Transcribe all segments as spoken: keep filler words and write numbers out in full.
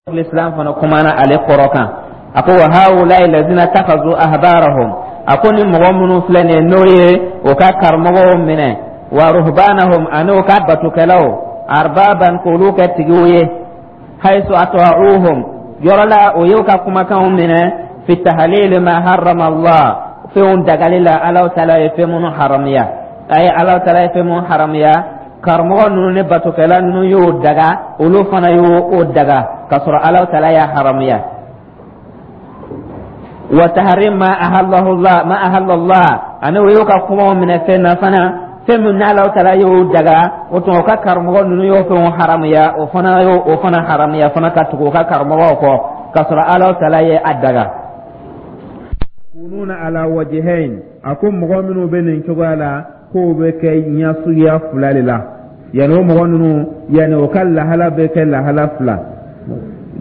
L'islam fana kumana ale kɔrɔ kan. A ko wa haulai lazina takhazu ahbarahum, a ko ni mɔgɔ minnu filɛ nin ye, n'o ye o ka karamɔgɔw minɛ, wa ruhbanahum, ani o ka batukɛlaw, arbaban, k'olu kɛ tigiw ye, haythu ata'uhum, yɔrɔ la o y'o ka kumakanw minɛ, fi tahlil ma harrama Allah, fɛnw dagali la, Alahu taala ye fɛn minnu haramuya. A ye Alahu taala ye fɛn minnu haramuya, karamɔgɔ ninnu ni batokɛla ninnu y'o daga, olu fana y'o o daga, k'a sɔrɔ Alahu taala y'a haramuya. Wa tahrim ma ahallahu Allah, ma ahalla Allah, ani o y'o ka kumaw minɛ fɛn na fana, fɛn min n'Alahu taala y'o daga, o tuma o ka karamɔgɔ ninnu y'o fɛnw haramuya, o fana y'o o fana haramuya fana, ka tugu o ka karamɔgɔw kɔ, k'a sɔrɔ Alahu taala ye a daga. Kununa ala wajhain, a ko mɔgɔ minnu bɛ nin cogoya la, k'o bɛ kɛ ɲɛsuguya fila de la. Yanni o mɔgɔ ninnu, yanni o ka lahala bɛ kɛ lahala fila,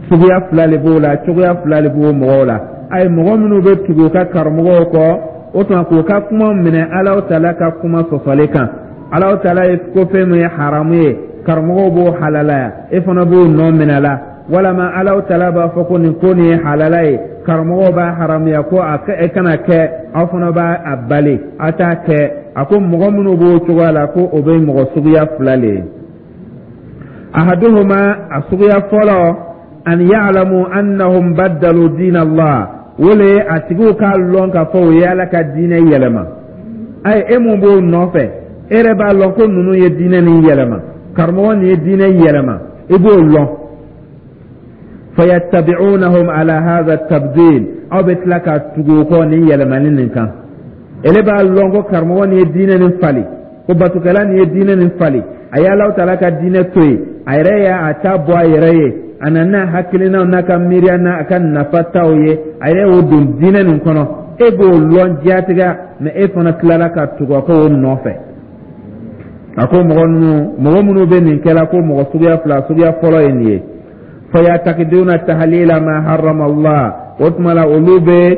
suguya fila de b'o la, cogoya fila de b'o mɔgɔw la. Ayi, mɔgɔ minnu bɛ tugu u ka karamɔgɔw kɔ, o tuma k'u ka kuma minɛ Alahu taala ka kuma sɔsɔli kan. Alahu taala ye ko fɛn min ye haramu ye, karamɔgɔw b'o halalaya, e fana b'o nɔ minɛ la. Walama Alahu taala b'a fɔ ko nin ko nin ye halala ye, karamɔgɔw b'a haramuya ko a e kana kɛ, aw fana b'a a bali, aw t'a kɛ. A ko mɔgɔ minnu b'o cogoya la, ko o bɛ mɔgɔ suguya fila le ye. Ahaduhuma, a suguya fɔlɔ, an ya'lamu annahum baddalu diin Allah, o le ye a tigiw k'a lɔn k'a fɔ o ye Ala ka diinɛ yɛlɛma. Ayi, e mun b'o nɔfɛ, e yɛrɛ b'a lɔn ko ninnu ye diinɛ nin yɛlɛma, karamɔgɔ nin ye diinɛ yɛlɛma, i b'o lɔn. Fayattabi'unahum ala hadha tabdil, aw bɛ tila ka tugu o kɔ nin yɛlɛmani nin kan. Ele b'a lɔn ko karamɔgɔ nin ye diinɛ nin fali, ko batukɛla nin ye diinɛ nin fali, a ye Alahu taala ka diinɛ to yen, a yɛrɛ y'a ta bɔ a yɛrɛ ye, a nana n'a hakilinaw n'a ka miiriya n'a ka nafa taw ye, a yɛrɛ y'o don diinɛ nin kɔnɔ. E b'o lɔn diyatigɛ, mɛ e fana tilala ka tugu a kɔ o nɔfɛ. A ko mɔgɔ ninnu, mɔgɔ minnu bɛ nin kɛla, ko mɔgɔ suguya fila, suguya fɔlɔ ye nin ye. Fayatakiduna tahlila ma harrama Allah, o tuma la olu bɛ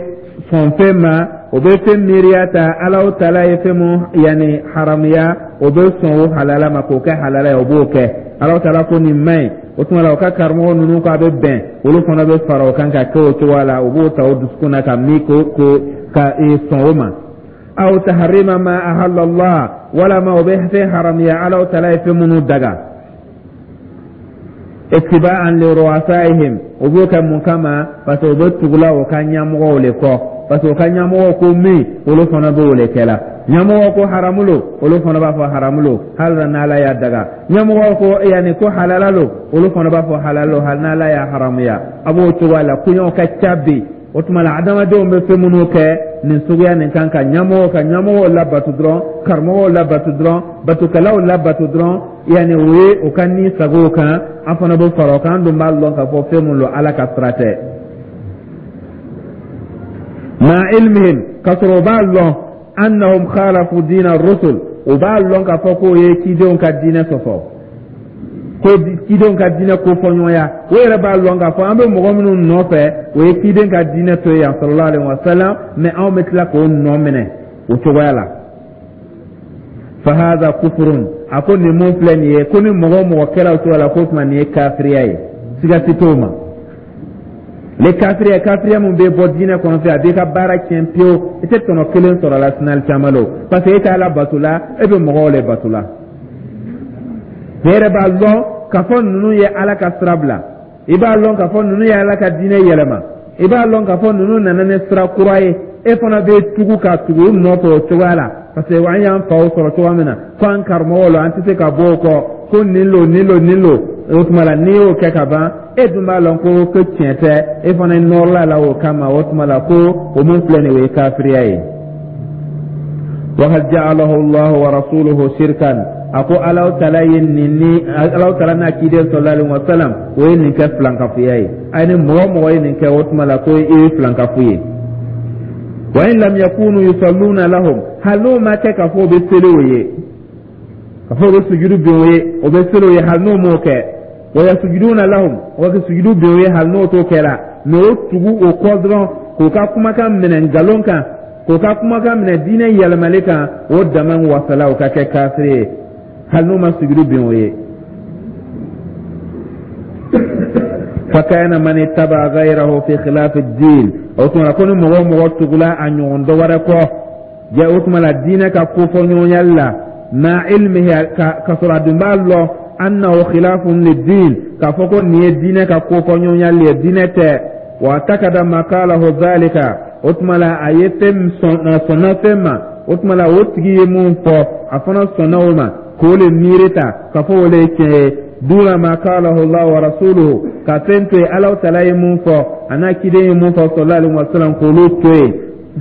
sɔn fɛn ma, o bɛ fɛn miiriya ta, Alahu taala ye fɛn mun yanni haramuya, o bɛ sɔn o halala ma k'o kɛ halala ye, o b'o kɛ. Alahu taala ko nin man ɲi, o tuma la o ka karamɔgɔ ninnu ko a bɛ bɛn, olu fana bɛ fara o kan ka kɛ o cogoya la, o b'o ta o dusukun na ka min ko ko ka sɔn o ma. Aw taharima ma ahalla Allah, walama o bɛ fɛn haramuya, Alahu taala ye fɛn minnu daga, ittiba'an li ru'asaihim. O b'o kɛ mun kama? Parce que o bɛ tugula o ka ɲɛmɔgɔw le kɔ, parce que o ka ɲɛmɔgɔw ko min, olu fana b'o le kɛ la. Ɲɛmɔgɔw ko haramu lo, olu fana b'a fɔ haramu lo, hali n'Ala y'a daga. Ɲɛmɔgɔw ko yanni ko halala lo, olu fana b'a fɔ halala lo, hali n'Ala y'a haramuya. A b'o cogoya la, koɲɛw ka ca bi. O tuma la adamadenw bɛ fɛn minnu kɛ nin suguya nin kan, ka ɲɛmɔgɔw ka ɲɛmɔgɔw labatu dɔrɔn, karamɔgɔw labatu dɔrɔn, batukɛlaw labatu dɔrɔn, yanni o ye o ka ni sago kan, an fana bɛ fara o kan. An dun b'a lɔn k'a fɔ fɛn mun don, Ala ka sira tɛ. Ma ilmihim, k'a sɔrɔ o b'a lɔn, annahum khalafu diina rusul, o b'a lɔn k'a fɔ k'o ye cidenw ka diinɛ sɔsɔ, ko cidenw ka diinɛ kofɔɲɔgɔnya. O yɛrɛ b'a lɔn k'a fɔ an bɛ mɔgɔ minnu nɔfɛ, o ye ciden ka diinɛ to yen sallallahu alaihi wa sallam, mɛ anw bɛ tila k'o nɔ minɛ o cogoya la. Fahadha kufurun, a ko nin mun filɛ nin ye, ko ni mɔgɔ o mɔgɔ kɛra o cogoya la, k'o tuma nin ye kafiriya ye, siga si t'o ma. Le kafiriya, kafiriya mun bɛ bɔ diinɛ kɔnɔ fɛ, a b'i ka baara tiɲɛ pewu, i tɛ tɔnɔ kelen sɔrɔ a la sinali caman lo, parce que e tɛ Ala bato la, e bɛ mɔgɔw le bato la. E yɛrɛ b'a lɔn k'a fɔ ninnu ye Ala ka sira bila, i b'a lɔn k'a fɔ ninnu ye Ala ka diinɛ yɛlɛma, i b'a lɔn k'a fɔ ninnu nana ni sira kura ye, e fana bɛ tugu ka tugu u nɔfɛ o cogoya la, parce que an y'an faw sɔrɔ cogoya min na, ko an karamɔgɔw la, an tɛ se ka bɔ o kɔ, ko nin lo, nin lo, nin lo. O tuma la n'i y'o kɛ ka ban, e dun b'a lɔn ko ko tiɲɛ tɛ, e fana nɔrɔla la o kama. O tuma la ko o mun filɛ nin ye, o ye kafiriya ye. Wakad ja'alahu Allah wa rasuluhu shirkan, a ko Alahu taala ye nin ni Alahu taala n'a ciden sallallahu alaihi wa sallam, o ye nin kɛ filankafoya ye. A ye ni mɔgɔ o mɔgɔ ye nin kɛ, o tuma la ko i ye filankafo ye. Wa in lam yakunu yusalluna lahum, hali n'o ma kɛ k'a fɔ o bɛ seli o ye, k'a fɔ o bɛ sujudu bin o ye, o bɛ seli o ye, hali n'o m'o kɛ, wa yasujuduna lahum, o ka sujudu bin o ye, hali n'o t'o kɛra, mɛ o tugu o kɔ dɔrɔn, k'o ka kumakan minɛ nkalon kan, k'o ka kumakan minɛ diinɛ yɛlɛmali kan, o dama wasala o ka kɛ kafiri ye, hali n'o ma sujudu bin o ye. Fakana man ittaba ghayrahu fi khilaf ad-din, o tuma la ko ni mɔgɔ o mɔgɔ tugula a ɲɔgɔn dɔ wɛrɛ kɔ ja, o tuma la diinɛ ka kofɔ ɲɔgɔnyali la, ma ilmihi, ka sɔrɔ a dun b'a lɔn annahu khilafun lid-din, k'a fɔ ko nin ye diinɛ ka kofɔ ɲɔgɔnyali ye, diinɛ tɛ, wa takada ma qalahu dhalika, o tuma la a ye fɛn sɔnna fɛn ma, o tuma la o tigi ye mun fɔ, a fana sɔnna o ma k'o le miiri ta k'a fɔ o le ye tiɲɛ ye, duna ma qalahu Allah wa rasuluhu, ka fɛn to yen Alahu taala ye mun fɔ, a n'a ciden ye mun fɔ sallallahu alaihi wa sallam, k'olu to yen,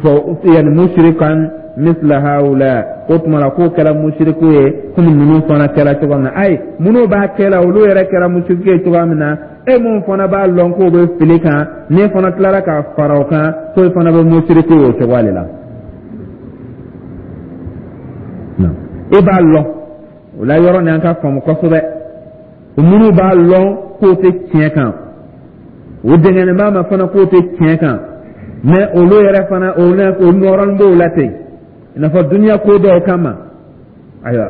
fɔ yani mushrikan misla haula, o tuma la k'o kɛra musiriku ye komi ninnu fana kɛra cogo min na. Ayi, minnu b'a kɛ la, olu yɛrɛ kɛra musiriku ye cogoya min na, e mun fana b'a lɔn k'o bɛ fili kan, n'e fana tilara ka fara o kan, k'o fana bɛ musiriku ye o cogoya de la. E b'a lɔn o la, yɔrɔ nin an ka faamu kosɛbɛ. Minnu b'a lɔn k'o tɛ tiɲɛ kan, o dɛngɛnnen b'a ma fana k'o tɛ tiɲɛ kan, mɛ olu yɛrɛ fana o nɔrɔnin b'o la ten, i n'a fɔ duniya ko dɔw kama, ayiwa,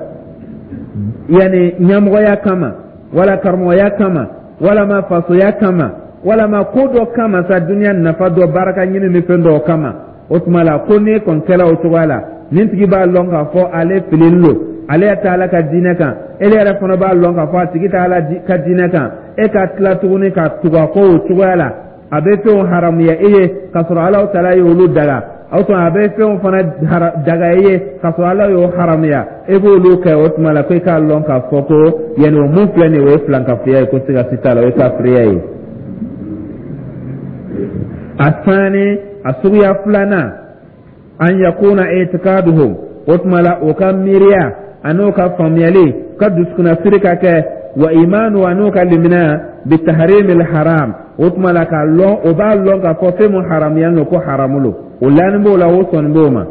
yanni ɲɛmɔgɔya kama, wala karamɔgɔya kama, walama fasoya kama, walama ko dɔ kama sa, duniya nafa dɔ, baraka ɲini ni fɛn dɔw kama. O tuma la ko n'e kɔni kɛla o cogoya la, nin tigi b'a lɔn k'a fɔ ale fililen don, ale tɛ Ala ka diinɛ kan, ele yɛrɛ fana b'a lɔn k'a fɔ a tigi tɛ Ala ka diinɛ kan, e ka tila tuguni ka tugu a kɔ o cogoya la, a bɛ fɛnw haramuya e ye k'a sɔrɔ Alahu taala ye olu daga, o tuma a bɛ fɛnw fana daga e ye k'a sɔrɔ Ala y'o haramuya, e b'olu kɛ, o tuma la ko e k'a lɔn k'a fɔ ko yanni o mun filɛ nin ye, o ye filankafoya ye, ko siga si t'a la, o ye kafiriya ye. A sani, a suguya filanan, an yakuna itikaduhum, o tuma la o ka miiriya an'o ka faamuyali ka dusukunnasiri ka kɛ, wa imanu, an'o ka limaniya, bitahrimil haram, o tuma la k'a lɔn, o b'a lɔn k'a fɔ fɛn mun haramuya don ko haramu don, o lanin b'o la, o sɔnni b'o ma,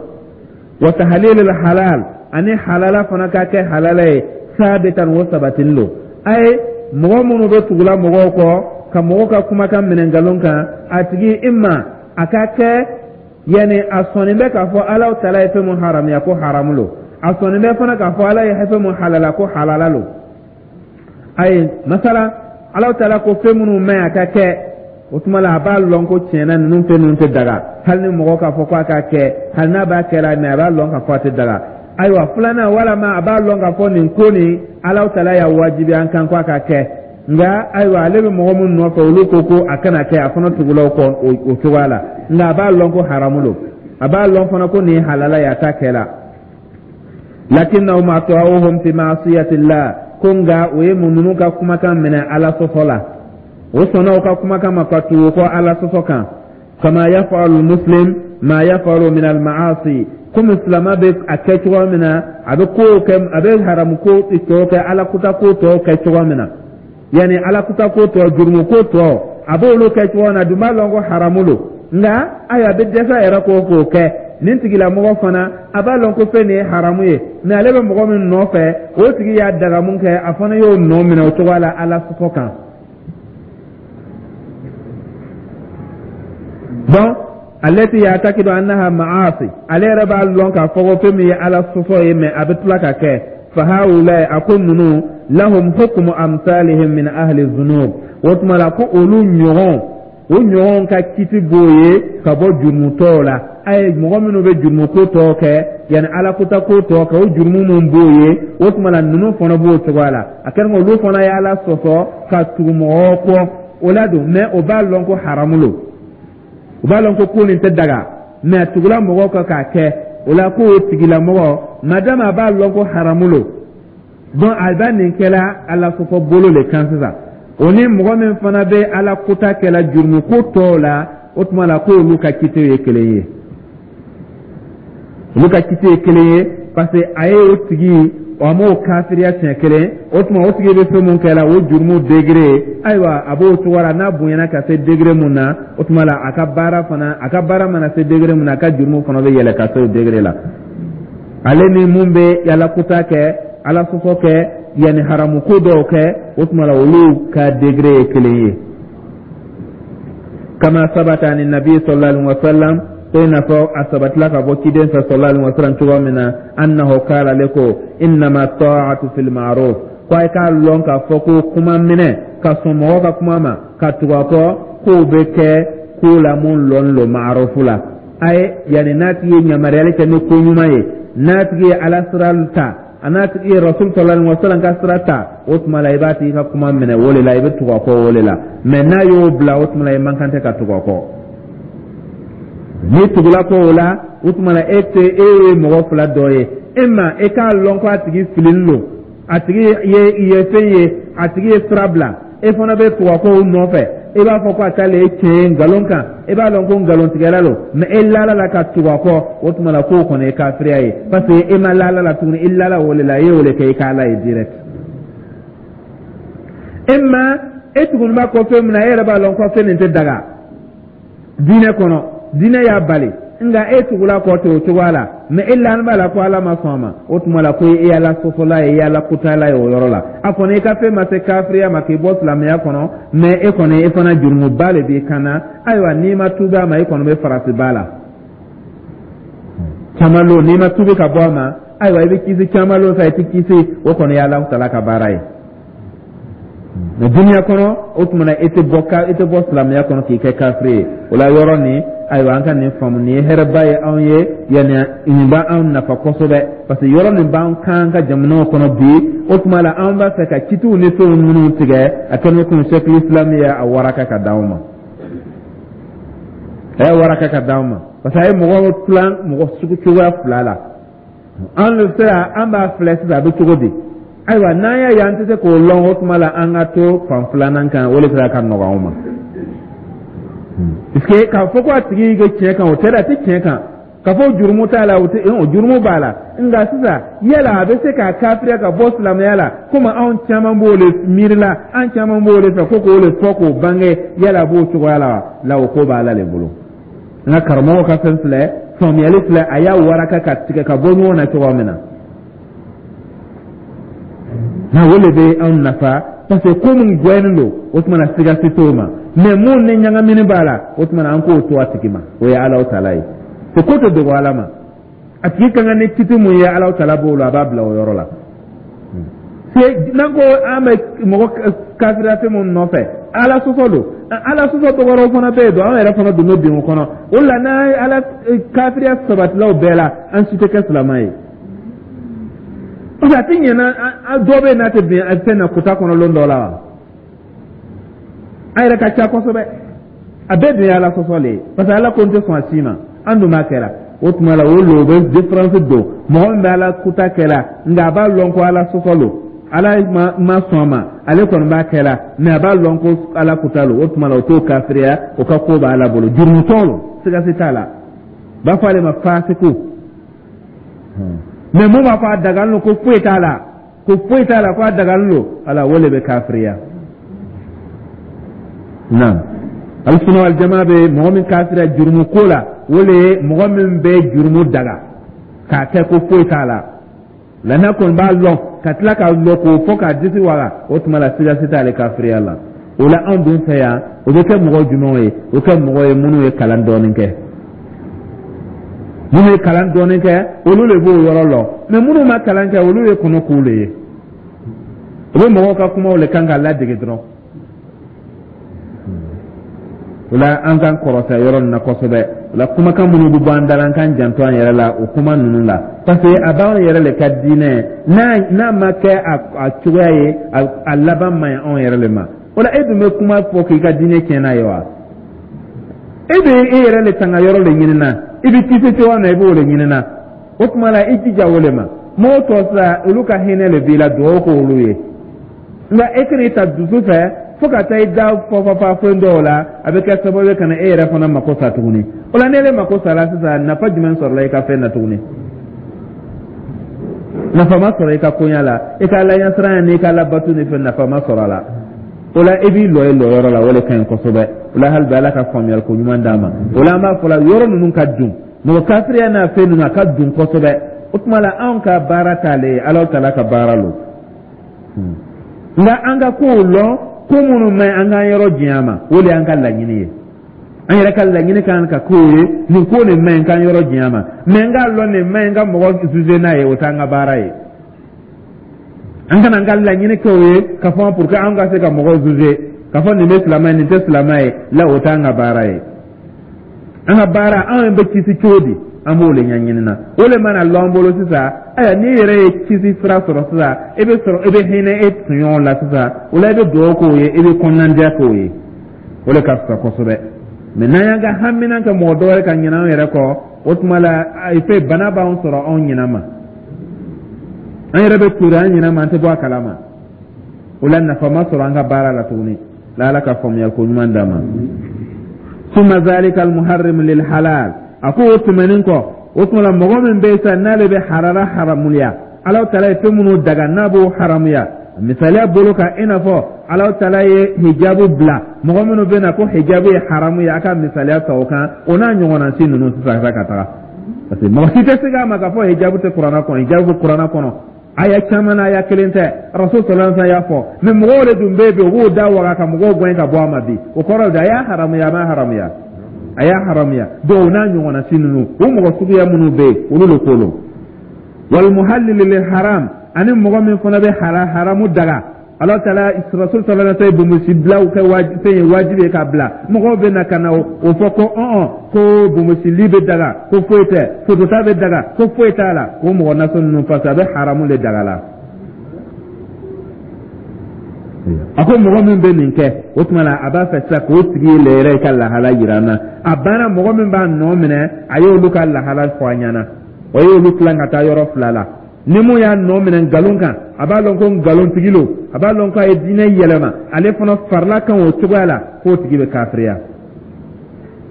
wa tahlilil halal, ani halala fana ka kɛ halala ye, sabitan, o sabatinin don. A ye mɔgɔ minnu bɛ tugula mɔgɔw kɔ ka mɔgɔw ka kumakan minɛ nkalon kan, a tigi imma a ka kɛ yanni a sɔnni bɛ k'a fɔ Alahu taala ye fɛn mun haramuya ko haramu don, a sɔnni bɛ fana k'a fɔ Ala ye fɛn mun halala ko halala don. Ayi, masala Alahu taala ko fɛn minnu maɲi a ka kɛ, o tuma la a b'a lɔn ko tiɲɛna ninnu fɛn ninnu tɛ daga, hali ni mɔgɔ k'a fɔ ko a k'a kɛ, hali n'a b'a kɛ la, mɛ a b'a lɔn k'a fɔ a tɛ daga. Ayiwa, filanan, walama a b'a lɔn k'a fɔ nin ko nin Alahu taala y'a wajibi an kan ko a ka kɛ, nka ayiwa, ale bɛ mɔgɔ minnu nɔfɛ, olu ko ko a kana kɛ, a fana tugula o kɔ o cogoya la, nka a b'a lɔn ko haramu don, a b'a lɔn fana ko nin ye halala ye, a t'a kɛ la. Lakinnahum ata'uhum fi ma'siyatillah, ko nka o ye mun ninnu ka kumakan minɛ Ala sɔsɔ la, o sɔnna o ka kumakan ma ka tugu kɔ Ala sɔsɔ kan, kama yafalu muslim ma yafalu min al-ma'asi, komi silama bɛ a kɛ cogoya min na, a bɛ kow kɛ, a bɛ haramu ko tɔw kɛ, Ala kuta ko tɔw kɛ cogoya min na, yanni Ala kuta ko tɔ, jurumu ko tɔ, a b'olu kɛ cogoya min na, a dun b'a lɔn ko haramu don, nka ayiwa, a bɛ dɛsɛ a yɛrɛ k'o k'o kɛ. Nin tigilamɔgɔ fana a b'a lɔn ko fɛn nin ye haramu ye, mɛ ale bɛ mɔgɔ min nɔfɛ, o tigi y'a daga mun kɛ, a fana y'o nɔ minɛ o cogoya la Ala sɔsɔ kan. Donc alati ya'taqidu annaha ma'asi, ale yɛrɛ b'a lɔn k'a fɔ ko fɛn min ye Ala sɔsɔ ye, mɛ a bɛ tila ka kɛ. Fa haula, a ko ninnu, lahum hukmu amsalihim min ahli dhunub, o tuma la ko olu ɲɔgɔn, o ɲɔgɔn ka kiti b'o ye ka bɔ jurumutɔw la. A ye mɔgɔ minnu bɛ jurumu ko tɔw kɛ, yanni Ala kota ko tɔw kɛ, o jurumu minnu b'o ye, o tuma la ninnu fana b'o cogoya la. A kɛra olu fana ye Ala sɔsɔ ka tugu mɔgɔw kɔ o la don, mɛ o b'a lɔn ko haramu don, o b'a lɔn ko ko nin tɛ daga, mɛ a tugula mɔgɔw kan k'a kɛ o la, k'o tigilamɔgɔ madama a b'a lɔn ko haramu don, donc a b'a nin kɛla Ala sɔsɔ bolo le kan sisan. O ni mɔgɔ min fana bɛ Ala kota kɛla jurumu ko tɔw la, o tuma la k'olu ka kiti ye kelen ye, olu ka kiti ye kelen ye, parce que a ye o tigi, a m'o kafiriya siɲɛ kelen, o tuma o tigi bɛ fɛn mun kɛ la, o jurumu degré, ayiwa, a b'o cogo la, n'a bonyana ka se degré mun na, o tuma la a ka baara fana, a ka baara mana se degré mun na, a ka jurumu fana bɛ yɛlɛ ka se o degré la. Ale ni mun bɛ Ala kota kɛ, Ala sɔsɔ kɛ, yanni haramu ko dɔw kɛ, o tuma la olu ka degré ye kelen ye. Kama sabata ani nabi sallallahu alaihi wa sallam, ko i n'a fɔ a sabatila ka bɔ ciden fɛ sallallahu alaihi wa sallam cogo min na, annahu qala, ale ko innama ta'atu fil ma'ruf, Ko a k'a lɔn k'a fɔ ko kuma minɛ ka sɔn mɔgɔ ka kuma ma ka tugu a kɔ, k'o bɛ kɛ ko la mun lɔn lo maarufu la. A ye yanni n'a tigi ye yamaruyali kɛ ni ko ɲuman ye, n'a tigi ye Ala sira ta, a n'a tigi ye Rasul sallallahu alaihi wasallam ka sira ta, o tuma la i b'a tigi ka kuma minɛ o de la, i bɛ tugu a kɔ o de la. Mɛ n'a y'o bila, o tuma la i man kan tɛ ka tugu a kɔ. N'i tugula kɔ o la, o tuma la e tɛ e ye mɔgɔ fila dɔ ye. E ma e k'a lɔn ko a tigi fililen don, a tigi ye ye fɛn ye, a tigi ye sira bila, e fana bɛ tugu a kɔ o nɔfɛ. E b'a fɔ ko a t'ale ye tiɲɛ ye nkalon kan, e b'a dɔn ko nkalontigɛla don, mɛ e lala la ka tugu a kɔ, o tuma la k'o kɔni ye kafiriya ye, parce que e ma lala la tuguni, i lala o de la, e y'o de kɛ i ka Ala ye direct. E ma e tuguni b'a kɔ fɛn min na, e yɛrɛ b'a lɔn ko fɛn nin tɛ daga diinɛ kɔnɔ, diinɛ y'a bali, nka e tugula kɔ ten o cogoya la, mɛ e lani b'a la ko Ala ma sɔn a ma, o tuma la ko e Ala sɔsɔla ye, e Ala kutala ye o yɔrɔ la. A kɔni i ka fɛn ma se kafiriya ma k'i bɔ silamɛya kɔnɔ, mɛ e kɔni e fana jurumuba de b'i kan na. Ayiwa, n'i ma tuubi a ma, e kɔni bɛ faratiba la caman lo. N'i ma tuubi ka bɔ a ma, ayiwa, i bɛ kisi caman lo sa, i tɛ kisi, o kɔni ye Ala tala ka baara ye. Mɛ duniya kɔnɔ, o tuma na e tɛ bɔ ka e tɛ bɔ silamɛya kɔnɔ k'i kɛ kafiri ye. O la yɔrɔ nin, ayiwa, an ka nin faamu, nin ye hɛrɛba ye anw ye, yanni nin b'anw nafa kosɛbɛ, parce que yɔrɔ nin b'an kan ka jamanaw kɔnɔ bi. O tuma la an b'a fɛ ka kitiw ni fɛnw minnu tigɛ, a kɛlen bɛ komi Sɛkili Islam ye a waraka ka d'anw ma, a y'a waraka ka d'anw ma, parce que a ye mɔgɔw tilan mɔgɔ sugu cogoya fila la. An bɛ se an b'a filɛ sisan, a bɛ cogo di? Ayiwa, n'an y'a ye an tɛ se k'o lɔn, o tuma la an ka to fan filanan kan, o de sera ka nɔgɔ anw ma, puisque k'a fɔ ko a tigi bɛ tiɲɛ kan, o tɛ dɛ, a tɛ tiɲɛ kan. K'a fɔ jurumu t'a la, o tɛ, o jurumu b'a la. Nka sisan, yala a bɛ se k'a kafiriya ka bɔ silamɛya la, komi anw caman b'o de miiri la, an caman b'o de fɛ ko k'o de fɔ k'o bange, yala a b'o cogoya la wa? La, o ko b'Ala de bolo. N ka karamɔgɔ ka fɛn filɛ, faamuyali filɛ, a y'a waraka ka tigɛ ka bɔ ɲɔgɔn na cogoya min na na, o de bɛ anw nafa, parce que ko min gɛnnen don, o tuma na siga si t'o ma. Mɛ mun ni ɲagamini b'a la, o tuma na an k'o to a tigi ma, o ye Ala tala ye. O ko tɛ dogo Ala ma. A tigi ka kan ni kiti mun ye, Ala tala b'o la, a b'a bila o yɔrɔ la. N'an ko an bɛ mɔgɔ kafiriya fɛn mun nɔfɛ, Ala sɔsɔ don, Ala sɔsɔ dɔ wɛrɛw fana bɛ yen don, an yɛrɛ fana don bɛ bin o kɔnɔ. O la n'an ye Ala kafiriya sabatilaw bɛɛ la, an si tɛ kɛ silamɛ ye, parce que a tɛ ɲɛ na. Dɔ bɛ yen n'a tɛ bin fɛn na kuta kɔnɔ lon dɔ la wa, an yɛrɛ ka ca kosɛbɛ, a bɛɛ dun ye Ala sɔsɔ le ye, parce que Ala ko n tɛ sɔn a si ma, an dun b'a kɛra. O tuma la o lo o bɛ différence don mɔgɔ min bɛ Ala kuta kɛla, nka a b'a lɔn ko Ala sɔsɔ lo, Ala ma ma sɔn a ma, ale kɔni b'a kɛla, mɛ a b'a lɔn ko Ala kuta lo, o tuma la o t'o kafiriya, o ka ko b'a Ala bolo, jurumutɔ lo, siga si t'a la, b'a fɔ ale ma fasiku. Mɛ mun b'a fɔ a dagalen don, ko foyi t'a la, ko foyi t'a la, ko a dagalen don, ala o de bɛ kafiriya. Naam, Alisuna wal jamaa bɛ mɔgɔ min kafiriya jurumu ko la, o de ye mɔgɔ min bɛ jurumu daga k'a kɛ ko foyi t'a la la, n'a kɔni b'a lɔn ka tila k'a lɔn k'o fɔ k'a disi waga, o tuma la siga si t'ale kafiriya la. O la anw dun fɛ yan, o bɛ kɛ mɔgɔ jumɛnw ye? O kɛ mɔgɔ ye minnu ye kalan dɔɔnin kɛ, minnu ye kalan dɔɔnin kɛ, olu de b'o yɔrɔ lɔn. Mɛ minnu ma kalan kɛ, olu ye kɔnɔ k'u de ye, o bɛ mɔgɔw ka kumaw de kan ka ladege dɔrɔn. O la an k'an kɔrɔta yɔrɔ nin na kosɛbɛ. O la kumakan minnu bɛ bɔ an da la, an k'an janto an yɛrɛ la o kuma ninnu la, parce que a b'anw yɛrɛ de ka diinɛ n'a n'a ma kɛ a cogoya ye, a laban man ɲi anw yɛrɛ de ma. O la e dun bɛ kuma fɔ k'i ka diinɛ tiɲɛ n'a ye wa? E bɛ e yɛrɛ de tanga yɔrɔ de ɲini na, i bɛ kisi cogoya min na, i b'o de ɲini na. O tuma la i jija o de ma. Mɔgɔw tɔ sisan, olu ka hinɛ de b'i la, dugawu k'olu ye. Nka e kana i ta dusu fɛ fo ka taa i da fɔfɔfa fɛn dɔw la, a bɛ kɛ sababu ye ka na e yɛrɛ fana mako sa tuguni. O la n'e mako sara sisan, nafa jumɛn sɔrɔla i ka fɛn na tuguni? Nafa ma sɔrɔ i ka koɲa la, i ka Ala ɲɛsiran n'i ka Ala bato ni fɛn, nafa ma sɔrɔ a la. O la i b'i lɔ i lɔyɔrɔ la, o de ka ɲi kosɛbɛ. O la hali bi, Ala ka faamuyali ko ɲuman d'a ma. O la an b'a fɔ la, yɔrɔ ninnu ka dun mɔgɔ kafiriya n'a fɛn ninnu, a ka dun kosɛbɛ. O tuma la anw ka baara t'ale ye, Ala tala ka baara lo. Nka an ka kow lɔn, ko minnu ma ɲi, an k'an yɔrɔ janya ma, o de y'an ka laɲini ye. An yɛrɛ ka laɲini kan ka k'o ye, nin ko nin ma ɲi, k'an yɔrɔ janya ma. Mɛ n k'a lɔn nin ma ɲi, n ka mɔgɔ juger n'a ye, o t'an ka baara ye. An kana an ka laɲini kɛ o ye ka fɔ pour que an ka se ka mɔgɔw juger, ka fɔ nin bɛ silamɛ ye, nin tɛ silamɛ ye la. O t'an ka baara ye. An ka baara, anw bɛ kisi cogo di, an b'o de ɲɛɲini na. O de mana lɔn an bolo sisan, ayiwa, n'i yɛrɛ ye kisi sira sɔrɔ sisan, e bɛ sɔrɔ e bɛ hinɛ e tɔɲɔgɔn la sisan. O la, i bɛ dugawu k'o ye, i bɛ kɔnɔnandiya k'o ye. O de ka fisa kosɛbɛ. Mɛ n'an y'an ka hamina kɛ mɔgɔ dɔ wɛrɛ ka ɲinɛ an yɛrɛ kɔ, o tuma la fɛn bana b'an sɔrɔ anw ɲinɛ ma, an yɛrɛ bɛ tori an ɲinɛ ma, an tɛ bɔ a kalama. O la, nafa ma sɔrɔ an ka baara la tuguni la. Ala ka faamuyali ko ɲuman d'an ma. Summa zalika almuharrim lil halal. A ko o tɛmɛnen kɔ, o tuma la, mɔgɔ min bɛ yen sisan, n'ale bɛ harara haramuya, Ala taala ye fɛn minnu daga, n'a b'o haramuya, misaliya bolo kan, i n'a fɔ Ala taala ye hijabu bila, mɔgɔ minnu bɛ na ko hijabu ye haramu ye, a ka misaliya ta o kan, o n'a ɲɔgɔnna si ninnu sisan ka taga, parce que mɔgɔ si tɛ se k'a ma k'a fɔ hijabu tɛ kuranna kɔnɔ. Hijabu bɛ kuranna kɔnɔ aya caman na, aya kelen tɛ. Rasul sallallahu alaihi wasallam y'a fɔ. Mɛ mɔgɔw de dun bɛ yen bi, u b'o da waga ka mɔgɔw gɛn ka bɔ a ma bi. O kɔrɔ de, a y'a haramuya, a ma haramuya, a y'a haramuya. Donc o n'a ɲɔgɔnna si ninnu, o mɔgɔ suguya minnu bɛ yen, olu de ko don. Wal muhallil lil haram, ani mɔgɔ min fana bɛ haramu daga. Ala taala, rasul sallallahu alaihi wasallam, bonbonsi bilaw kɛ fɛn ye wajibi ye k'a bila. Mɔgɔw bɛ na ka na o fɔ ko ɔn ko bonbonsili bɛ daga, ko foyi tɛ, fotota bɛ daga, ko foyi t'a la. O mɔgɔ nasɔn ninnu, parce que a bɛ haramu de daga la. A ko mɔgɔ min bɛ nin kɛ, o tuma la, a b'a fɛ sisan k'o tigi le yɛrɛ ka lahala yira an na. A banna, mɔgɔ min b'a nɔ minɛ, a y'olu ka lahala fɔ an ɲɛna. O y'olu tilan ka taa yɔrɔ fila la. Ni mun y'a nɔ minɛ nkalon kan, a b'a lɔn ko nkalontigi lo, a b'a lɔn ko a ye diinɛ yɛlɛma, ale fana farila kan o cogoya la, k'o tigi bɛ kafiriya.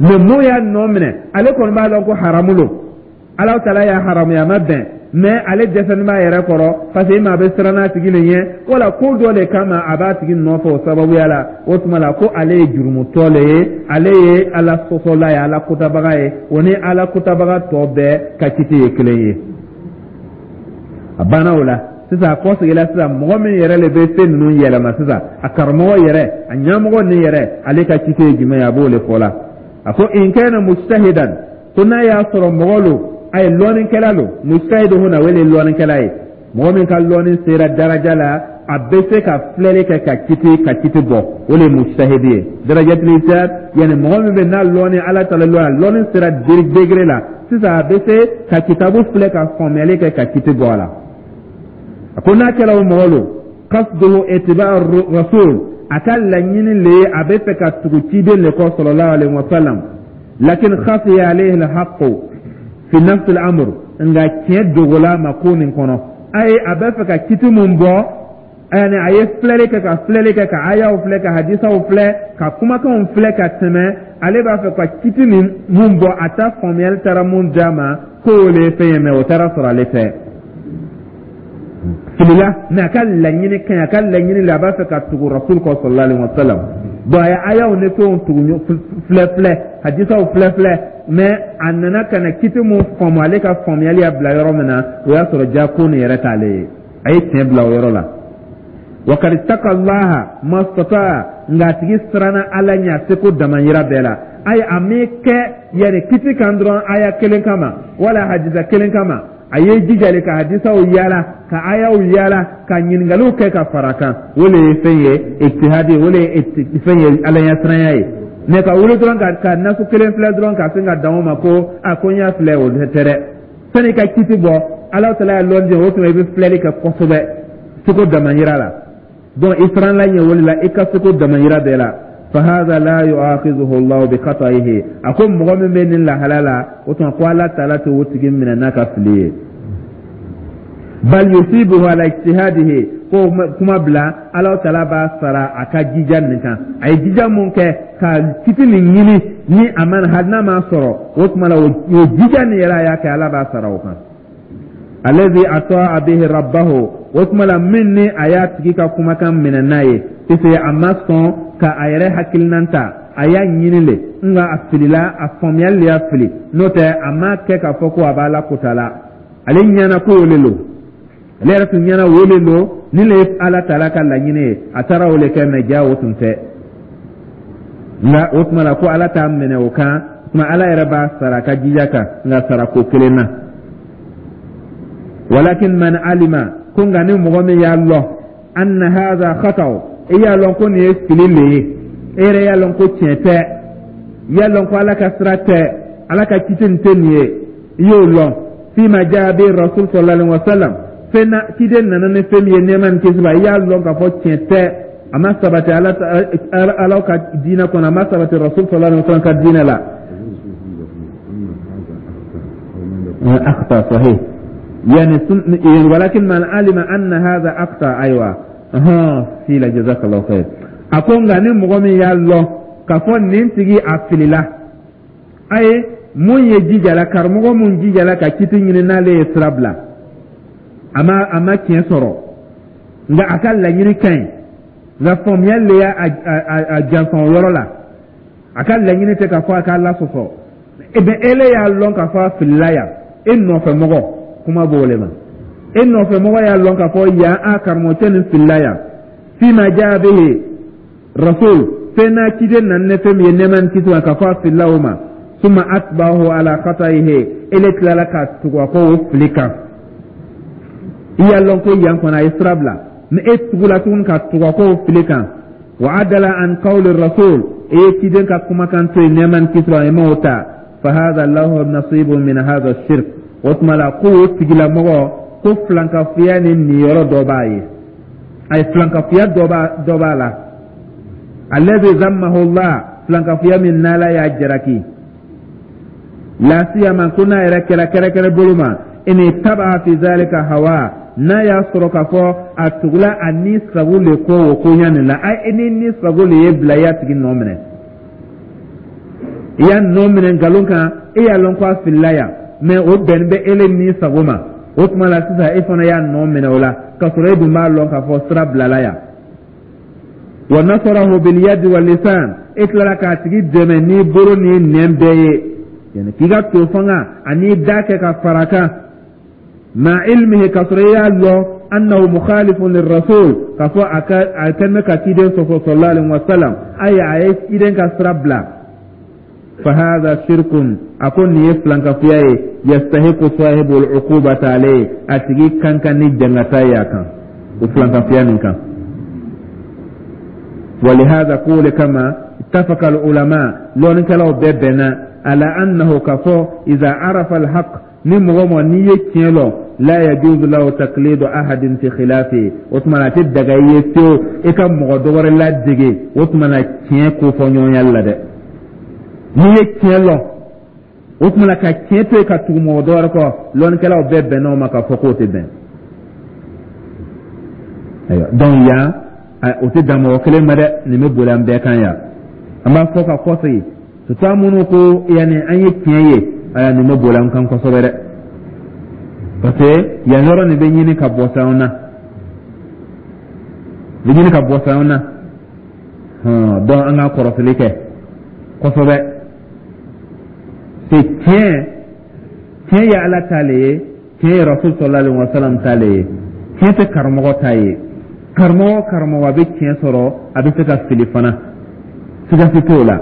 Mɛ mun y'a nɔ minɛ, ale kɔni b'a lɔn ko haramu lo, Ala taala y'a haramuya, a ma bɛn, mɛ ale dɛsɛlen b'a yɛrɛ kɔrɔ, parce que maa bɛ siran n'a tigi le ɲɛ, wala ko dɔ de kama a b'a tigi nɔfɛ o sababuya la, o tuma la, ko ale ye jurumutɔ le ye, ale ye Ala sɔsɔla ye, Ala kotabaga ye. O ni Ala kotabaga tɔ bɛɛ ka kiti ye kelen ye. A banna o la sisan, a kɔseginna sisan, mɔgɔ min yɛrɛ le bɛ fɛn ninnu yɛlɛma sisan, a karamɔgɔ yɛrɛ, a ɲɛmɔgɔ nin yɛrɛ, ale ka kiti ye jumɛn ye, a b'o de fɔ la. A ko in kana mujtahidan, ko n'a y'a sɔrɔ mɔgɔ lo, a ye lɔnnikɛla lo. Mujtahidu huna, o de ye lɔnnikɛla ye, mɔgɔ min ka lɔnni sera daraja la, a bɛ se ka filɛli kɛ ka kiti ka kiti bɔ, o de ye mujtahidi ye, darajatul ijtihad. Yani mɔgɔ min bɛ n'a lɔnni, Ala ta lɔnni, a lɔnni sera degré la sisan, a bɛ se ka kitabu filɛ ka faamuyali kɛ ka kiti bɔ a la. A ko n'a kɛra o mɔgɔ lo, qasduhu ittiba rasul, a ka laɲini le ye a bɛ fɛ ka tugu ciden le kɔ sallallahu alaihi wa sallam, lakin khafiya alayhi alhaqqu fi nafs al-amr, nka tiɲɛ dogola ma ko nin kɔnɔ. Ayi, a bɛ fɛ ka kiti mun bɔ, yani a ye filɛli kɛ ka filɛli kɛ, ka ayaw filɛ, ka hadisaw filɛ, ka kumakanw filɛ ka tɛmɛ, ale b'a fɛ ka kiti nin mun bɔ, a ta faamuyali taara mun d'a ma k'o le ye fɛn ye, mɛ o taara sɔrɔ ale tɛ filila. Mɛ a ka laɲini ka ɲi, a ka laɲini la, a b'a fɛ ka tugu rasul kɔ sallallahu alaihi wa sallam. Bon, a ye ayaw ni fɛnw tugu, filɛ filɛ, hadisaw filɛ filɛ, mɛ a nana ka na kiti mun faamu, ale ka faamuyali y'a bila yɔrɔ min na, o y'a sɔrɔ ja ko nin yɛrɛ t'ale ye, a ye tiɲɛ bila o yɔrɔ la. Wa kad ittaqa Allaha mastata'a, nka a tigi siranna Ala ɲɛ a seko damayira bɛɛ la. Ayi, a m'i kɛ yanni kiti kan dɔrɔn aya kelen kama wala hadisa kelen kama. A ye jijali ka hadisaw yaala, ka ayaw yaala, ka ɲininkaliw kɛ ka fara kan. O de ye fɛn ye ijtihadi, o de ye fɛn ye Ala ɲɛsiranya ye. Mɛ ka wuli dɔrɔn ka ka nasu kelen filɛ dɔrɔn ka sin ka dan o ma ko a ko n y'a filɛ, o tɛ dɛ. Sani ka kiti bɔ, Ala taala y'a lɔn o tuma, i bɛ filɛli kɛ kosɛbɛ seko damayira la. Donc i siranla ɲɛ wuli la, i ka seko damayira bɛɛ la. Fahadha la yu'akhidhuhu Allah bi khata'ihi. A ko mɔgɔ min bɛ nin lahala la, o tuma ko Ala taala tɛ o tigi minɛ n'a ka fili ye. Bal yusibuhu ala ijtihadihi, ko kuma bila, Ala taala b'a sara a ka jija nin kan. A ye jija mun kɛ ka kiti nin ɲini, ni a ma, hali n'a ma sɔrɔ, o tuma la, o jija nin yɛrɛ a y'a kɛ, Ala b'a sara o kan. Alladhi ata'a bihi rabbahu, o tuma la, min ni a y'a tigi ka kumakan minɛ n'a ye, puisque a ma sɔn ka a yɛrɛ hakilinan ta, a y'a ɲini le, nka a filila, a faamuyali le y'a fili. N'o tɛ, a ma kɛ k'a fɔ ko a b'a la kota la. Ale ɲɛna ko o le lo, ale yɛrɛ tun ɲɛna o le lo, ni le ye Ala taala ka laɲini ye, a taara o le kɛ, mɛ ja o tun tɛ. Nka o tuma la, ko Ala t'a minɛ o kan. Tuma Ala yɛrɛ b'a sara a ka jija kan, nka sara ko kelen na. Walakin man alima Ko nka ni mɔgɔ min y'a lɔn anna hadha khata, i y'a lɔn ko nin ye fili le ye, e yɛrɛ y'a lɔn ko tiɲɛ tɛ, i y'a lɔn ko Ala ka sira tɛ, Ala ka kiti nin tɛ nin ye, i y'o lɔn, fima jaa bi rasul sallallahu alaihi wasallam, fɛn na ciden nana ni fɛn min ye, nɛɛma ni kisi b'a, i y'a lɔn k'a fɔ tiɲɛ tɛ, a ma sabati Ala Ala ka diinɛ kɔnɔ, a ma sabati rasul sallallahu alaihi wasallam ka diinɛ la. أخطأ صحيح يعني سن... ولكن من علم أن هذا أخطأ، أيوة ها سيلا، جزاك الله خير. أكون غني مغمي يا الله كفون ننتجي أفللا أي mun ye jijala, karamɔgɔ mun jijala ka kiti ɲini n'ale ye sira bila, a ma a ma tiɲɛ sɔrɔ, nka a ka laɲini ka ɲi, nka faamuyali le y'a a janfa o yɔrɔ la. A ka laɲini tɛ k'a fɔ a k'a lasɔsɔ. E bɛ ele y'a lɔn k'a fɔ a filila yan, e nɔfɛ mɔgɔ, kuma b'o le ma, e nɔfɛ mɔgɔ y'a lɔn k'a fɔ yan a karamɔgɔcɛ nin filila yan, fima jaa bihi rasul, fɛn n'a ciden nana ni fɛn min ye, nɛɛma ni kisi ma, k'a fɔ a filila o ma, summa atba'ahu ala khata'ihi, ele tilala ka tugu a kɔ o fili kan. I y'a lɔn ko yan kɔnɔ a ye sira bila, mɛ e tugula tuguni ka tugu a kɔ o fili kan, wa adala an qawli rasul, e ye ciden ka kumakan to yen, nɛɛma ni kisi ma, i m'o ta, fa hadha lahu nasibun min hadha shirk. O tuma la ko o tigilamɔgɔ ko filankafoya ni niyɔrɔ dɔ b'a ye, a ye filankafoya dɔ b'a dɔ b'a la, alladhi zammahu Allah, filankafoya min n'Ala y'a jalaki, la siyama ko n'a yɛrɛ kɛra kɛrɛkɛrɛ bolo ma, in taba fi zalika hawa, n'a y'a sɔrɔ k'a fɔ a tugula a ni sago le ko o koɲa nin la. A ni ni sago le ye bila, i y'a tigi nɔ minɛ, i y'a nɔ minɛ nkalon kan, e y'a lɔn ko a filila yan, mɛ o bɛnnen bɛ ele ni sago ma. O tuma la sisan e fana y'a nɔ minɛ o la, k'a sɔrɔ e dun b'a lɔn k'a fɔ sira bilala yan, wa nasarahu bil yadi wal lisan, e tilala k'a tigi dɛmɛ n'i bolo n'i nɛn bɛɛ ye, yani k'i ka to fanga ani da kɛ ka fara kan, ma ilmihi, k'a sɔrɔ i y'a lɔn annahu mukhalifun lirrasul, k'a fɔ a ka a kɛlen bɛ ka ciden sɔsɔ sallallahu alaihi wa sallam, ayi, a ye ciden ka sira bila, fa hadha shirkun, a ko nin ye filankafoya ye, yastahiqu sahibu al-uqubata alayhi, a tigi kan kan ni jangata ye a kan o filankafoya nin kan. ولهذا قول كما اتفق العلماء لون كلاو ببنا على أنه كفو إذا عرف الحق ni mɔgɔ mɔgɔ n'i ye tiɲɛ lɔn, la yajuzu lahu taqlidu ahadin fi khilafi, o tuma na a tɛ daga i ye fiyewu i ka mɔgɔ dɔ wɛrɛ ladege o tuma na tiɲɛ ko fɔ ɲɔgɔnya la dɛ. N'i ye tiɲɛ lɔn, o tuma na ka tiɲɛ to yen ka tugu mɔgɔ dɔ wɛrɛ kɔ, lɔnnikɛlaw bɛɛ bɛnna o ma k'a fɔ k'o tɛ bɛn. Ayiwa, donc yan o tɛ dan mɔgɔ kelen ma dɛ, nin bɛ boli an bɛɛ kan yan. An b'a fɔ ka kɔsegin, surtout an minnu ko yanni an ye tiɲɛ ye, ayiwa, nin bɛ boli an kan kosɛbɛ dɛ, parce que yan yɔrɔ nin bɛ ɲini ka bɔ anw na, bɛ ɲini ka bɔ anw na. Donc an ka kɔrɔsili kɛ kosɛbɛ. C'est tiɲɛ, tiɲɛ ye Ala ta le ye, tiɲɛ ye rasul sallallahu alaihi wa sallam ta le ye, tiɲɛ tɛ karamɔgɔ ta ye. Karamɔgɔ karamɔgɔ a bɛ tiɲɛ sɔrɔ, a bɛ se ka fili fana, sigasi t'o la.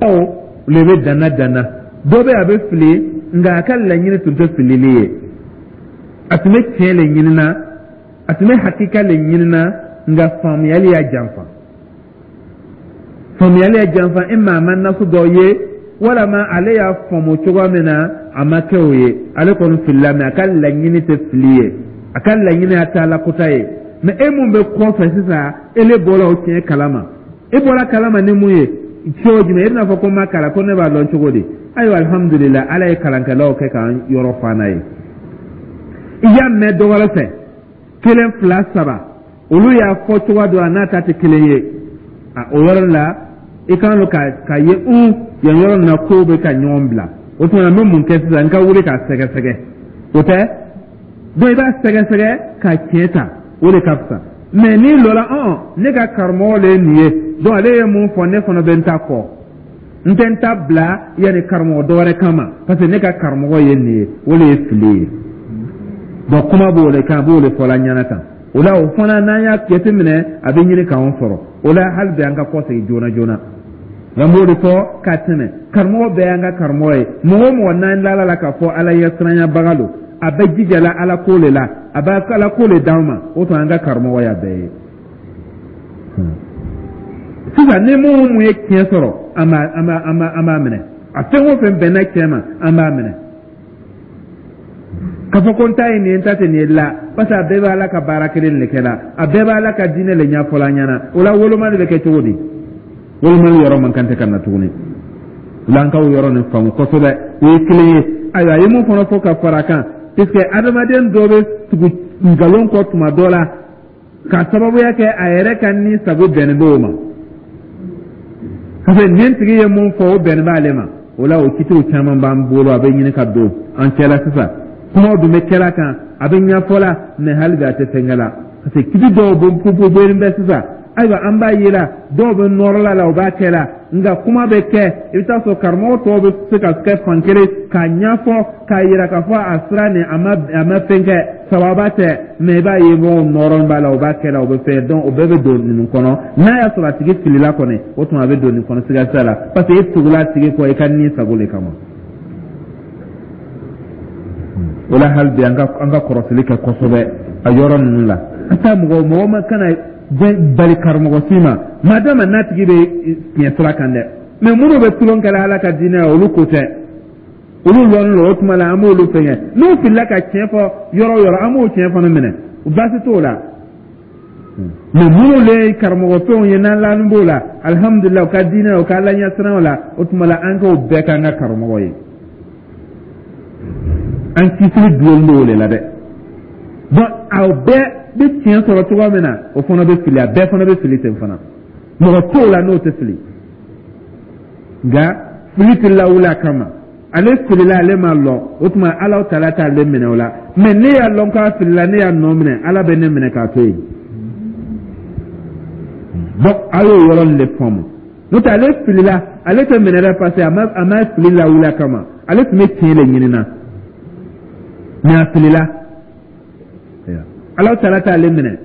Aw le bɛ danna danna, dɔ bɛ a bɛ fili, nka a ka laɲini tun tɛ filili ye, a tun bɛ tiɲɛ le ɲinina, a tun bɛ hakika le ɲinina, nka faamuyali y'a janfa, faamuyali y'a janfa. E maa ma nasu dɔ ye, walama ale y'a faamu cogoya min na, a ma kɛ o ye, ale kɔni filila, mɛ a ka laɲini tɛ fili ye, a ka laɲini y'a ta ala kota ye. Mɛ e mun bɛ kɔfɛ sisan, e le bɔra o tiɲɛ kalama, e bɔra kalama ni mun ye cogo jumɛn? E bɛna fɔ ko n ma kalan, ko ne b'a dɔn cogo di? Ayiwa, alihamudulila, Ala ye kalankɛlaw kɛ k'an yɔrɔ fa n'a ye. I y'a mɛn dɔ wɛrɛ fɛ, kelen, fila, saba, olu y'a fɔ cogoya dɔ la n'a ta tɛ kelen ye, a o yɔrɔ la i kan ka ka ye un yan yɔrɔ nin na kow bɛ ka ɲɔgɔn bila. O tuma na n bɛ mun kɛ sisan? N ka wuli k'a sɛgɛsɛgɛ, o tɛ? Donc i b'a sɛgɛsɛgɛ ka tiɲɛ ta, o de ka fisa. Mɛ n'i lɔla ɔn ne ka karamɔgɔ le ye nin ye, donc ale ye mun fɔ, ne fana bɛ n ta kɔ, n tɛ n ta bila yanni karamɔgɔ dɔ wɛrɛ kama, parce que ne ka karamɔgɔ ye nin ye, o de ye fili ye. Donc kuma b'o de kan, a b'o de fɔla ɲɛna tan. O la o fana n'an y'a jateminɛ, a bɛ ɲini k'anw sɔrɔ. O la hali bi an ka kɔsegin joona joona, nka n b'o de fɔ ka tɛmɛ, karamɔgɔ bɛɛ y'an ka karamɔgɔ ye. Mɔgɔ o mɔgɔ n'an lala la k'a fɔ Ala ɲɛsiranyabaga don, a A bɛ jijala Ala ko le la, a bɛ Ala ko le d'an ma. O tuma, an ka karamɔgɔ y'a bɛɛ ye. Sisan, ni mun mun ye tiɲɛ sɔrɔ, an b'a an b'a an b'a an b'a minɛ. A fɛn o fɛn bɛnna tiɲɛ ma, an b'a minɛ. K'a fɔ ko n ta ye nin ye, n ta tɛ nin ye la, parce que a bɛɛ bɛ Ala ka baara kelen de kɛ la, a bɛɛ bɛ Ala ka diinɛ le ɲɛfɔla an ɲɛna. O la, wolomali bɛ kɛ cogo di? Wolomali yɔrɔ man kan tɛ ka na tuguni. O la, an k'o yɔrɔ nin faamu kosɛbɛ. O ye kelen ye. Ayiwa, a ye mun fana fɔ ka fara a kan? Puisque adamaden dɔ bɛ tugu nkalon kɔ tuma dɔ la, ka sababuya kɛ a yɛrɛ ka ni sago bɛnnen b'o ma, parce que nin tigi ye mun fɔ, o bɛnnen b'ale ma. O la, o kitiw caman b'an bolo, a bɛ ɲini ka don an cɛla. Sisan, kumaw dun bɛ kɛla kan, a bɛ ɲɛfɔ la, mɛ hali bi a tɛ fɛnkɛ la, parce que kiti dɔw bɛ bɔlen bɛ sisan. Ayiwa, an b'a ye la, dɔw bɛ nɔrɔla la, o b'a kɛ la, nka kuma bɛ kɛ, i bɛ taa sɔrɔ karamɔgɔ tɔw bɛ se ka kɛ fan kelen k'a ɲɛfɔ, k'a yira k'a fɔ a sira nin, a ma a ma fɛn kɛ, sababa tɛ. Mɛ i b'a ye, mɔgɔw nɔrɔ b'a la, o b'a kɛ la, o bɛ fɛn. Donc o bɛɛ bɛ don ninnu kɔnɔ. N'a y'a sɔrɔ a tigi filila kɔni, o tuma a bɛ don nin kɔnɔ, siga t'a la, parce que e tugula a tigi kɔ i ka ni sago de kama. O la, hali bi, an ka an ka kɔrɔsili kɛ kosɛbɛ a yɔrɔ ninnu la. An taa mɔgɔ mɔgɔ ma kana bali karamɔgɔ si ma, madama n'a tigi bɛ tiɲɛ sira kan dɛ. Mɛ minnu bɛ tulon kɛla Ala ka diinɛ ye, olu ko tɛ, olu lɔnnen don. O tuma la, an b'olu fɛngɛ. N'u filila ka tiɲɛ fɔ yɔrɔ o yɔrɔ, an b'o tiɲɛ fana minɛ, baasi t'o la. Mɛ minnu le ye karamɔgɔ fɛnw ye, n'an lani b'o la, alihamudulilayi, u ka diinɛ, u ka Ala ɲɛsiranw la, o tuma la, an k'o bɛɛ k'an ka karamɔgɔ ye. An kisili dulon b'o de la dɛ. Donc aw bɛɛ bɛ tiɲɛ sɔrɔ cogoya min na, o fana bɛ fili, a bɛɛ fana bɛ fili ten fana. Mɔgɔ t'o la n'o tɛ fili, nka fili tɛ lawuli a kama. Ale filila, ale ma lɔ, o tuma Ala taala t'ale minɛ o la. Mɛ ne y'a lɔn k'a filila, ne y'a nɔ minɛ, Ala bɛ ne minɛ k'a to yen. Donc a y'o yɔrɔ nin de faamu. N'o tɛ, ale filila, ale tɛ minɛ dɛ, parce que a ma a ma fili lawuli a kama. Ale tun bɛ tiɲɛ de ɲini na, mɛ a filila, Ala taala t'ale minɛ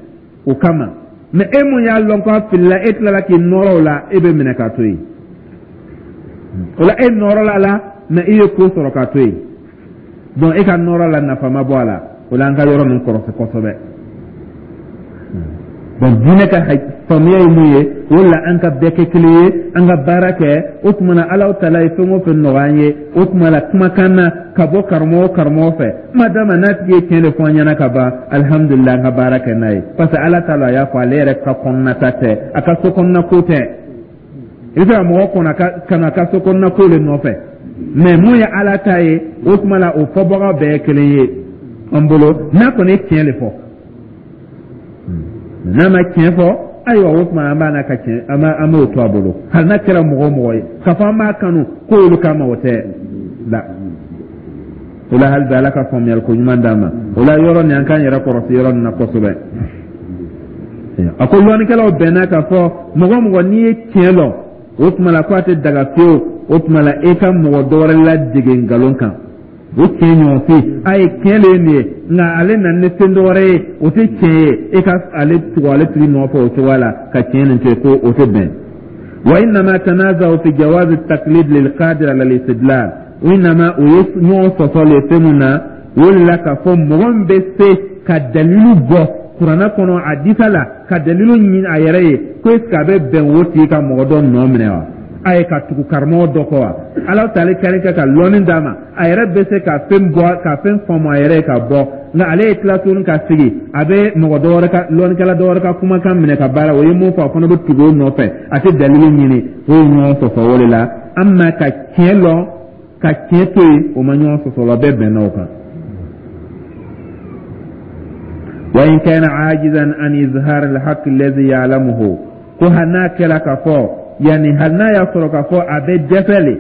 o kama. Mɛ e mun y'a lɔn k'a filila, e tilala k'i nɔrɔ o la, e bɛ minɛ k'a to yen. O la, e nɔrɔla la, mɛ i ye ko sɔrɔ k'a to yen. Donc e ka nɔrɔ la, nafa ma bɔ a la. O la, an ka yɔrɔ ninnu kɔrɔsi kosɛbɛ. Donc diinɛ ka faamuya ye mun ye? O la, an ka bɛɛ kɛ kelen ye, an ka baara kɛ. O tuma na, Ala taala ye fɛn o fɛn nɔgɔya an ye, o tuma la, kumakan na ka bɔ karamɔgɔ o karamɔgɔ fɛ, madama n'a tigi ye tiɲɛ de fɔ an ɲɛna ka ban, alihamudulilayi, an ka baara kɛ n'a ye, parce que Ala ta la, a y'a fɔ, ale yɛrɛ ka kɔnɔnata tɛ, a ka so kɔnɔna ko tɛ. I bɛ se ka mɔgɔ kɔnɔ ka na a ka so kɔnɔna ko de nɔfɛ, mɛ mun ye Ala ta ye, o tuma la, o fɔbaga bɛɛ ye kelen ye an bolo, n'a kɔni ye tiɲɛ de fɔ. N'a ma tiɲɛ fɔ, ayiwa, o tuma an b'a n'a ka tiɲɛ, an b'a an b'o to a bolo, hali n'a kɛra mɔgɔ o mɔgɔ ye, k'a fɔ an b'a kanu ko olu kama, o tɛ la. O la, hali bi, Ala ka faamuyali ko ɲuman d'an ma. O la, yɔrɔ nin, an k'an yɛrɛ kɔrɔsi yɔrɔ nin na kosɛbɛ. A ko lɔnnikɛlaw bɛnna k'a fɔ, mɔgɔ mɔgɔ n'i ye tiɲɛ lɔn, o tuma la, ko a tɛ daga fiyewu, o tuma la, e ka mɔgɔ dɔ wɛrɛ ladege nkalon kan. O tiɲɛ ɲɔgɔn fi a ye tiɲɛ le ye nin ye, nka ale nana ni fɛn dɔ wɛrɛ ye, o tɛ tiɲɛ ye, e ka ale tugu ale tigi nɔfɛ o cogoya la ka tiɲɛ nin to yen, ko o tɛ bɛn. وإنما تنازعوا في جواز التقليد للقادر على الاستدلال. وإنما o ye ɲɔgɔn sɔsɔ le fɛn mun na, o de la, k'a fɔ mɔgɔ min bɛ se ka dalilu bɔ Kuranɛ kɔnɔ, hadisa la, ka dalilu ɲini a yɛrɛ ye, ko est ce que a bɛ bɛn o tigi ka mɔgɔ dɔ nɔ minɛ wa? A ye ka tugu karamɔgɔ dɔ kɔ wa? Ala taale kari kɛ ka lɔnni d'a ma, a yɛrɛ bɛ se ka fɛn bɔ, ka fɛn faamu a yɛrɛ ye ka bɔ, nka ale ye tila tuguni ka sigi, a bɛ mɔgɔ dɔ wɛrɛ ka lɔnnikɛla dɔ wɛrɛ ka kumakan minɛ ka baara. O ye mun fɔ, a fana bɛ tugu o nɔfɛ, a tɛ dalilu ɲini. O ye ɲɔgɔn sɔsɔ o de la. An ma ka tiɲɛ lɔn ka tiɲɛ to yen, o ma ɲɔgɔn sɔsɔ la, bɛɛ bɛnna o kan. وإن كان عاجزا عن إظهار الحق الذي يعلمه, ko hali n'a kɛra k'a fɔ, yanni hali n'a y'a sɔrɔ k'a fɔ a bɛ dɛsɛ le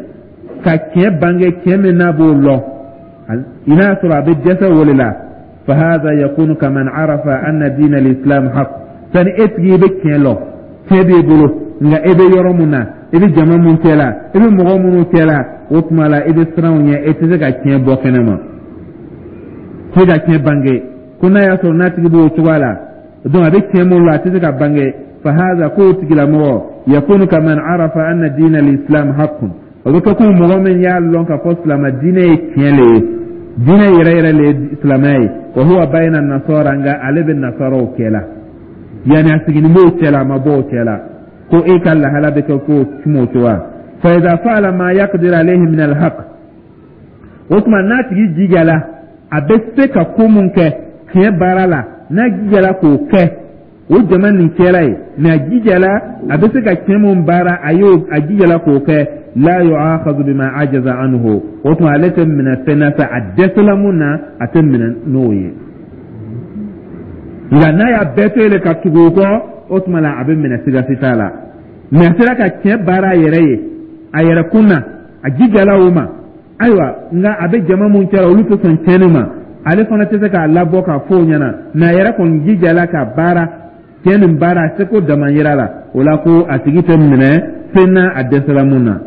ka tiɲɛ bange, tiɲɛ min n'a b'o lɔn, i n'a sɔrɔ a bɛ dɛsɛ o de la, فهذا يكون كمن عرف أن دين الإسلام حق. Sani e tigi, i bɛ tiɲɛ lɔn, tiɲɛ b'i bolo, nka e bɛ yɔrɔ mun na, i bɛ jama mun cɛ la, i bɛ mɔgɔ minnu cɛ la, o tuma la, i bɛ siran u ɲɛ, e tɛ se ka tiɲɛ bɔ kɛnɛ ma, tɛ se ka tiɲɛ bange. Ko n'a y'a sɔrɔ n'a tigi b'o cogoya la, donc a bɛ tiɲɛ mun la, a tɛ se ka bange, فهذا, k'o tigilamɔgɔ, يكون كمن عرف أن دين الإسلام حق, o bɛ kɛ ko mɔgɔ min y'a lɔn k'a fɔ silamɛ diinɛ ye tiɲɛ le ye. Diinɛ yɛrɛ yɛrɛ le ye silamɛya ye. Wa huwa bayna nasara, nka ale bɛ nasaraw cɛ la, yanni a siginin b'o cɛ la, a ma bɔ o cɛ la, ko e ka lahala bɛ kɛ ko kuma o cogoya. Fa idha fa'ala ma yaqdir alayhi min alhaq, o tuma n'a tigi jijala, a bɛ se ka ko mun kɛ tiɲɛ baara la, n'a jijala k'o kɛ o jama nin cɛla ye, mais a jijala, a bɛ se ka tiɲɛ mun baara, a y'o a jijala k'o kɛ, la yu'akhadhu bima ajaza anhu, o tuma ale tɛ minɛ fɛn na fɛ a dɛsɛla mun na, a tɛ minɛ n'o ye. Nka n'a y'a bɛɛ to yen ka tugu o kɔ, o tuma la a bɛ minɛ, siga si t'a la. Mais a sera ka tiɲɛ baara a yɛrɛ ye, a yɛrɛ kun na, a jijala o ma. Ayiwa, nka a bɛ jama mun cɛla, olu tɛ sɔn tiɲɛni ma, ale fana tɛ se k'a labɔ k'a fɔ o ɲɛna, mais a yɛrɛ kɔni jijala ka baara tiɲɛ nin baara a seko damayira la. O la ko a tigi tɛ minɛ fɛn na a dɛsɛla mun na.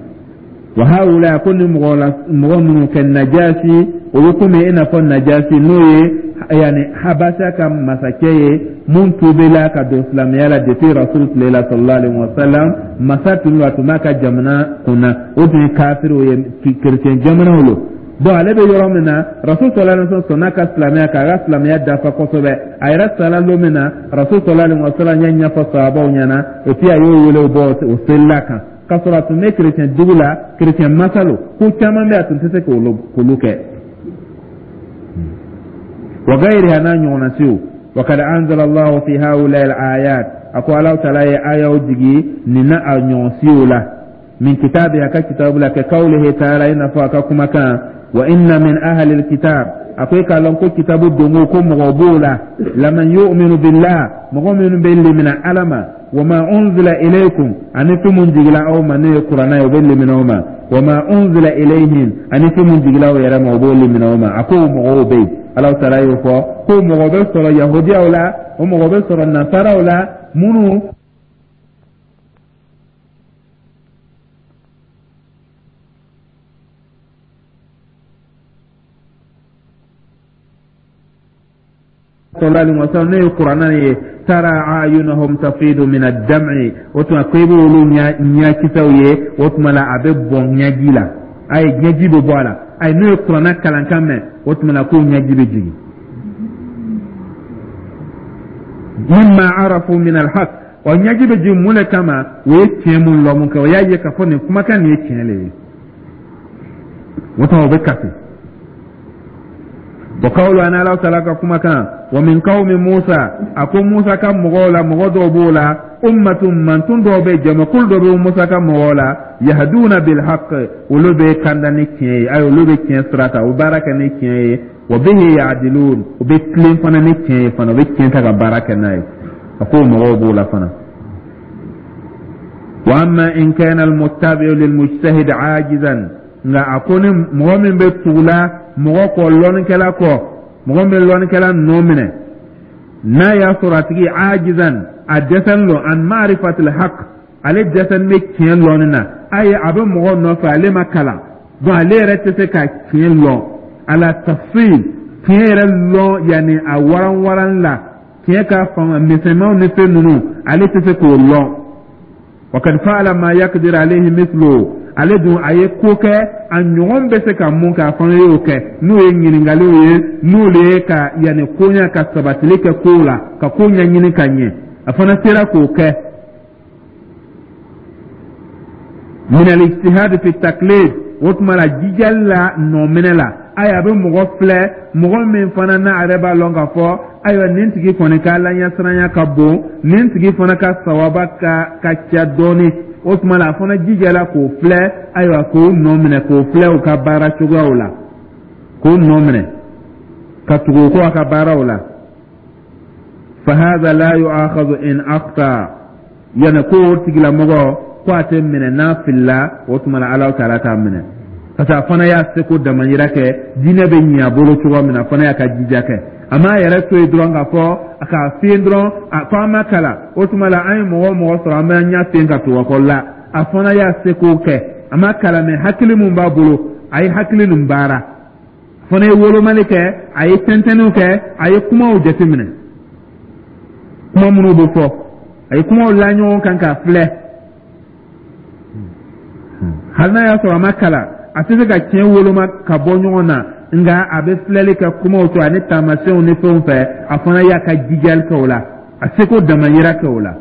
Wa haula, ko ni mɔgɔ la, mɔgɔ minnu kɛ Najasi, o bɛ komi i n'a fɔ Najasi, n'o ye yanni Habasa ka masakɛ ye mun tubila ka don silamɛya la depuis Rasul tile la, sallallahu alaihi wa sallam. Masa tun don, a tun b'a ka jamana kunna, o tun ye kafiriw ye, kerecɛn jamanaw lo. Bon, ale bɛ yɔrɔ min na, Rasul sallallahu alaihi wa sallam sɔnna ka silamɛya, k'a ka silamɛya dafa kosɛbɛ. A yɛrɛ sala don min na, Rasul sallallahu alaihi wa sallam y'a ɲɛfɔ sahabaw ɲɛna, et puis a y'o wele bɔ o selila kan, k'a sɔrɔ a tun bɛ kerecɛn dugu la, kerecɛn masa lo, ko caman bɛ a tun tɛ se k'olu kɛ. Wa gayriha, n'a ɲɔgɔnna siw. Wa kad anzala Allahu fi haula al-ayat, a ko Alahu taala ye ayaw jigi nin na a ɲɔgɔn siw la, min kitabi, a ka kitabu la, ka kawlihi taala, i n'a fɔ a ka kumakan, wa inna min ahli al-kitab, a ko i k'a lɔn ko kitabu dongo ko mɔgɔ b'o la, laman yu'minu billah, mɔgɔ minnu bɛ limina Ala ma, wa ma unzila ilaykum, ani fɛn mun jigila aw ma, n'o ye kuranɛ ye, o bɛ limina o ma, wa ma unzila ilayhim, ani fɛn mun jigila aw yɛrɛ ma, o b'o limina o ma. A ko mɔgɔw bɛ yen, Alahu taala y'o fɔ ko mɔgɔ bɛ sɔrɔ yahudiyaw la, o mɔgɔ bɛ sɔrɔ nasaraw la minnu sallallahu alaihi wasallam, n'o ye kuranɛ ye, tara ayunahum tafidu min ad-dam'i, o tuma ko i b'olu ɲakisɛw ye, o tuma la a bɛ bɔn ɲɛji la, ayi, ɲɛji bɛ bɔ a la, ayi, n'o ye kuranɛ kalankan mɛn, o tuma la k'o ɲɛji bɛ jigin, mimma arafu min al-haq. Wa ɲɛji bɛ jigin mun de kama? O ye tiɲɛ mun lɔn mun kɛ, o y'a ye k'a fɔ nin kumakan nin ye tiɲɛ le ye, o tuma o bɛ kasi. Wa kawlu, an Ala taala ka kumakan, wa min qawmi Musa, a ko Musa ka mɔgɔw la, mɔgɔ dɔw b'o la, ummatun, mantun dɔw bɛ, jamakulu dɔ bɛ Musa ka mɔgɔw la, yahduna bil haqq, olu bɛ kanda ni tiɲɛ ye, ayi, olu bɛ tiɲɛ sira ta, u baara kɛ ni tiɲɛ ye, wa bihi ya'dilun, u bɛ tilen fana ni tiɲɛ ye fana, u bɛ tiɲɛ ta ka baara kɛ n'a ye. A ko mɔgɔw b'o la fana. Wa amma in kana al muttabi'u lil mujtahid ajizan, nka a ko ni mɔgɔ min bɛ tugula mɔgɔ kɔ, lɔnnikɛla kɔ, mɔgɔ min bɛ lɔnnikɛla nɔ minɛ, n'a y'a sɔrɔ a tigi ajizan, a dɛsɛlen don, an ma'rifatil haqq, ale dɛsɛlen bɛ tiɲɛ lɔnni na, ayi, a bɛ mɔgɔ nɔfɛ, ale ma kalan, donc ale yɛrɛ tɛ se ka tiɲɛ lɔn ala tafsil, tiɲɛ yɛrɛ lɔn yanni a waran waran la, tiɲɛ ka fanga misɛnmanw ni fɛn ninnu, ale tɛ se k'o lɔn. Wa kad fa'ala ma yaqdir alayhi mithlu, ale dun a ye ko kɛ a ɲɔgɔn bɛ se ka mun kɛ, a fana y'o kɛ, n'o ye ɲininkaliw ye, n'olu ye ka yanni koɲa ka sabatili kɛ kow la, ka ko ɲɛɲini ka ɲɛ, a fana sera k'o kɛ, min al-ijtihad fi taklid, o tuma la jijali la nɔminɛ la, ayi, a bɛ mɔgɔ filɛ, mɔgɔ min fana n'a yɛrɛ b'a lɔn k'a fɔ ayiwa nin tigi kɔni ka alaɲɛsiranya ka bon, nin tigi fana ka sawaba ka ka ca dɔɔni, o tuma la a fana jijala k'o filɛ, ayiwa, k'o nɔ minɛ, k'o filɛ u ka baara cogoyaw la, k'o nɔ minɛ ka tugu o kɔ a ka baaraw la. Fahadha la yu'akhadhu in akhta, yani ko o tigilamɔgɔ ko a tɛ minɛ n'a filila, o tuma la Alahu taala t'a minɛ, parce que a fana y'a seko damayira kɛ, diinɛ bɛ ɲɛ a bolo cogo min na, a fana y'a ka jija kɛ, a m'a yɛrɛ to yen dɔrɔn k'a fɔ a k'a fiyen dɔrɔn, a ko an ma kalan, o tuma la an ye mɔgɔ o mɔgɔ sɔrɔ, an b'an ɲɛ fiyen ka tugu a kɔ la. A fana y'a seko kɛ, a ma kalan mɛ hakili mun b'a bolo, a ye hakili nin baara, a fana ye wolomali kɛ, a ye tɛntɛnniw kɛ, a ye kumaw jateminɛ, kuma minnu bɛ fɔ, a ye kumaw la ɲɔgɔn kan k'a filɛ, hali n'a y'a sɔrɔ a ma kalan, a tɛ se ka tiɲɛ woloma ka bɔ ɲɔgɔn na. Nka a bɛ filɛli kɛ kumaw to ani taamasiyɛnw ni fɛnw fɛ, a fana y'a ka jijali kɛ o la, a seko damayira kɛ o la.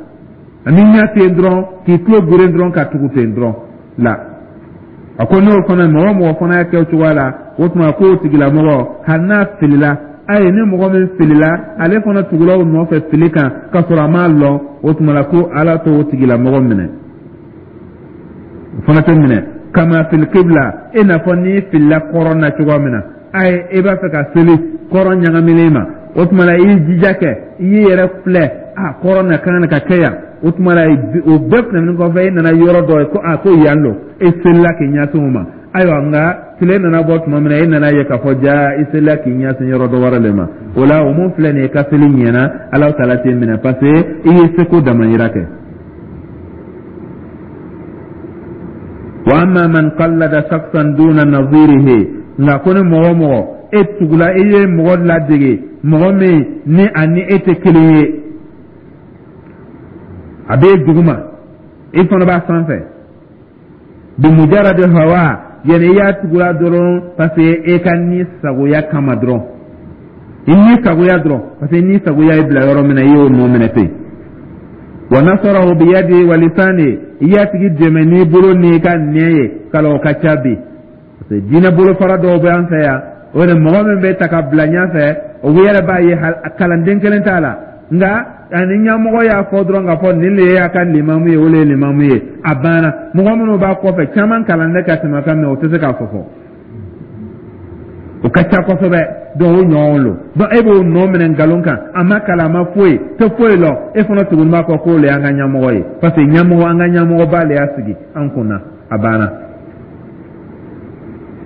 Ani ɲɛ ten dɔrɔn, k'i tulo geren dɔrɔn ka tugu ten dɔrɔn la. A ko n'o fana, mɔgɔ mɔgɔ fana y'a kɛ o cogoya la, o tuma k'o tigilamɔgɔ, hali n'a filila, ayi, ni mɔgɔ min filila, ale fana tugula o nɔfɛ fili kan k'a sɔrɔ a m'a lɔn, o tuma la ko Ala t'o tigilamɔgɔ minɛ, o fana tɛ minɛ. Kama fil kibla, i n'a fɔ n'i filila kɔrɔn na cogoya min na, ayi, i b'a fɛ ka seli, kɔrɔn ɲagaminen ma, o tuma la i y'i jija kɛ, i y'i yɛrɛ filɛ, a kɔrɔn na kan ka kɛ yan. O tuma la, o bɛɛ tɛmɛnen kɔfɛ, e nana yɔrɔ dɔ ye ko a ko yan don, e selila k'i ɲɛsin o ma. Ayiwa, nka tile nana bɔ tuma min na, e nana ye k'a fɔ ja i selila k'i ɲɛsin yɔrɔ dɔ wɛrɛ de ma. O la, o mun filɛ nin ye, ka seli ɲɛna, Ala taala t'i minɛ, parce que i ye seko damayira kɛ. Wa amma man qallada shakhsan duna nadhirihi, nka ko ni mɔgɔ o mɔgɔ e tugula, i ye mɔgɔ ladege, mɔgɔ min ni a ni e tɛ kelen ye, a b'e duguma, e fana b'a sanfɛ, bimujaradi hawa, yani i y'a tugula dɔrɔn parce que e ka ni sagoya kama dɔrɔn, i ni sagoya dɔrɔn, parce que ni sagoya y'i bila yɔrɔ min na, i y'o nɔ minɛ ten. Wa nasarahu biyadi wa lisani, i y'a tigi dɛmɛ n'i bolo n'i ka nɛn ye. Kala o ka ca bi, parce que diinɛ bolofara dɔw bɛ an fɛ yan, o de mɔgɔ min bɛ ta ka bila ɲɛfɛ, o yɛrɛ b'a ye kalanden kelen t'a la, nka ani ɲɛmɔgɔ y'a fɔ dɔrɔn k'a fɔ nin de y'a ka limamu ye, o de ye limamu ye, a banna. Mɔgɔ minnu b'a kɔfɛ, caman kalannen ka tɛmɛ kan, mɛ o tɛ se k'a fɔ fɔ, o ka ca kosɛbɛ. Donc o ɲɔgɔn lo, donc e b'o nɔ minɛ nkalon kan, a ma kalan, a ma foyi tɛ foyi lɔ, e fana tuguni b'a fɔ k'o le y'an ka ɲɛmɔgɔ ye, parce que ɲɛmɔgɔ, an ka ɲɛmɔgɔba le y'a sigi an kunna, a banna.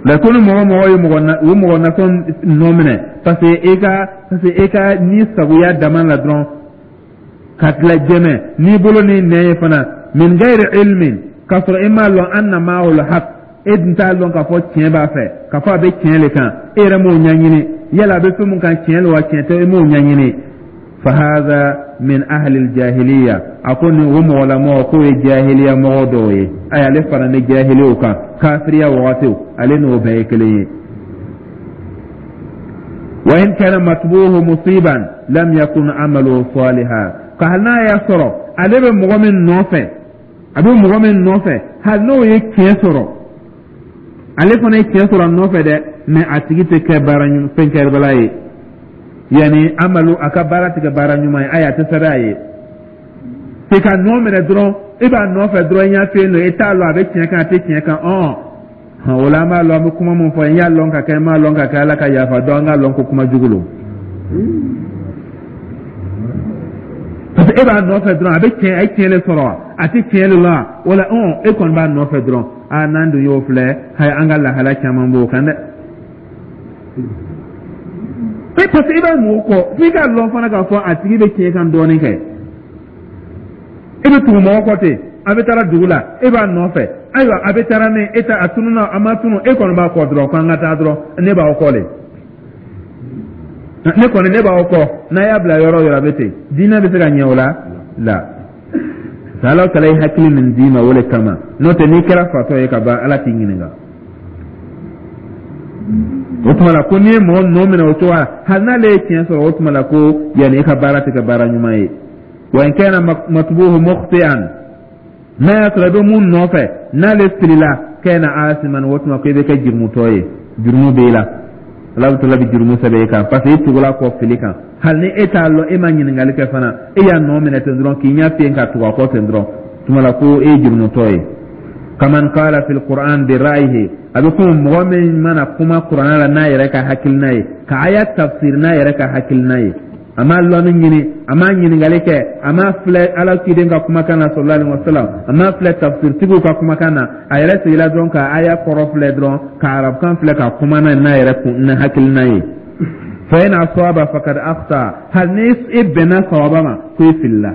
Mɛ ko ni mɔgɔ mɔgɔ ye mɔgɔ na, o mɔgɔ nasɔn nɔ minɛ parce que e ka parce que e ka ni sagoya dama la dɔrɔn, ka tila jɛmɛ n'i bolo ni nɛn ye fana, min gayri ilmin, k'a sɔrɔ e m'a lɔn anna ma'ahu haq, e dun t'a lɔn k'a fɔ tiɲɛ b'a fɛ, k'a fɔ a bɛ tiɲɛ le kan, e yɛrɛ m'o ɲɛɲini, yala a bɛ fɛn mun kan, tiɲɛ lo wa tiɲɛ tɛ, e m'o ɲɛɲini. Fahaza min ahli jahiliya, a ko ni o mɔgɔlamɔgɔ k'o ye jahiliya mɔgɔ dɔw ye. Ayi, ale fara ni jahiliw kan, kafiriya wagatiw, ale n'o bɛɛ ye kelen ye. Wa in kana matbuhu musiban lam yakun amaluhu salihan, ka hali n'a y'a sɔrɔ ale bɛ mɔgɔ min nɔfɛ, a bɛ mɔgɔ min nɔfɛ, hali n'o ye tiɲɛ sɔrɔ, ale fana ye tiɲɛ sɔrɔ a nɔfɛ dɛ, mɛ a tigi tɛ kɛ baara fɛn kɛbala ye, yanni amalu, a ka baara tɛ kɛ baara ɲuman ye. Ayi, a tɛ sɛbɛn a ye k'i ka nɔ minɛ dɔrɔn, e b'a nɔfɛ dɔrɔn, i ɲɛ to yen nɔ, e t'a lɔn a bɛ tiɲɛ kan, a tɛ tiɲɛ kan. Ɔn, o la an b'a lɔn, an bɛ kuma min fɔ, n y'a lɔn ka kɛ, n m'a lɔn ka kɛ, Ala ka yafa dɔn, an k'a lɔn ko kuma jugu lo, parce que e b'a nɔfɛ dɔrɔn, a bɛ tiɲɛ, a ye tiɲɛ de sɔrɔ wa, a tɛ tiɲɛ de la o la, ɔn, e kɔni b'a nɔfɛ dɔrɔn. Aa, n'an dun y'o filɛ, hayi, an ka lahala caman b'o kan dɛ. E, parce que i b'a mɔgɔ kɔ, f'i k'a lɔn fana k'a fɔ a tigi bɛ tiɲɛ kan dɔɔnin kɛ. E bɛ tugu mɔgɔ kɔ ten, a bɛ taara dugu la, e b'a nɔfɛ, ayiwa, a bɛ taara min, e ta a tununa, a ma tunu, e kɔni b'a kɔ dɔrɔn, k'an ka taa dɔrɔn, ne b'aw kɔ de, ne kɔni ne b'aw kɔ, n'a y'a bila yɔrɔ o yɔrɔ, a bɛ ten. Diinɛ bɛ se ka ɲɛ o la la? Ala taala ye hakili min d'i ma, o de kama, n'o tɛ n'i kɛra fatɔ ye ka ban, Ala t'i ɲininka. O tuma la ko n'i ye mɔgɔ nɔ minɛ o cogo la, hali n'ale ye tiɲɛ sɔrɔ, o tuma la ko yanni i ka baara tɛ kɛ baara ɲuman ye. Wa in kana matbuhu mukhti'an, n'a y'a sɔrɔ i bɛ mun nɔfɛ, n'ale filila, kana asiman, o tuma ko i bɛ kɛ jurumutɔ ye, jurumu b'e la, Ala taala bɛ jurumu sɛbɛn e kan, parce que i tugula kɔ fili kan, hali ni e t'a lɔn, e ma ɲininkali kɛ fana, e y'a nɔ minɛ ten dɔrɔn, k'i ɲɛ fiyen ka tugu a kɔ ten dɔrɔn, tuma la ko e ye jurumutɔ ye. Kaman qala fil qur'an bi ra'yihi, a bɛ komi mɔgɔ min mana kuma kuranɛ la n'a yɛrɛ ka hakilina ye, ka aya tafsir n'a yɛrɛ ka hakilina ye, a ma lɔnni ɲini, a ma ɲininkali kɛ, a ma filɛ Ala ciden ka kumakan na sallallahu alaihi wasallam, a ma filɛ tafsirtigiw ka kumakan na, a yɛrɛ sigila dɔrɔn ka aya kɔrɔ filɛ dɔrɔn, ka arabukan filɛ, ka kuma n'a n'a yɛrɛ kun n'a hakilina ye. Fa in asaba faqad akhta, hali ni e bɛnna sawaba ma, ko e filila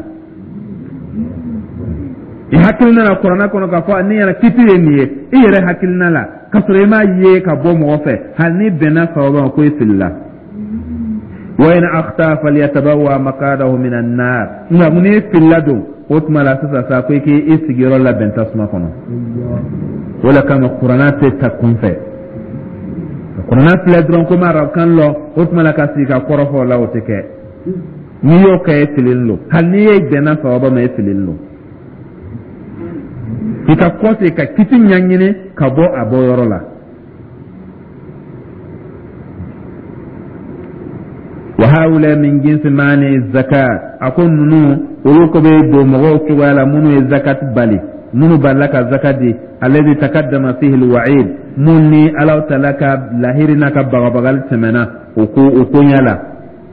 i hakilina la kuranɛ kɔnɔ, k'a fɔ ne yɛrɛ kiti ye nin ye, i yɛrɛ hakilina la, k'a sɔrɔ i m'a ye ka bɔ mɔgɔ fɛ, hali ni bɛnna sawaba ma, ko e filila. Wa in akhta falyatabawwa maqadahu min an-nar, nka n'i filila don, o tuma la sisan sa ko i k'i sigiyɔrɔ labɛn tasuma kɔnɔ. O de kama kuranɛ tɛ ta kunfɛ. Kuranna filɛ dɔrɔn ko n ma arabukan lɔn, o tuma la ka sigi ka kɔrɔfɔ o la, o tɛ kɛ. N'i y'o kɛ, e fililen don. Hali n'i ye bɛnna sawaba ma, e fililen don. I ka kɔse ka kiti ɲɛɲini ka bɔ a bɔ yɔrɔ la. Wa haula min jinsi mani zakat, a ko ninnu olu ko bɛ don mɔgɔw cogoya la minnu ye zakat bali, minnu balila ka zakat di, alladhi taqaddama fihi alwa'id, mun ni Alahu taala ka lahiri n'a ka bagabagali tɛmɛna o ko o koɲɛ la.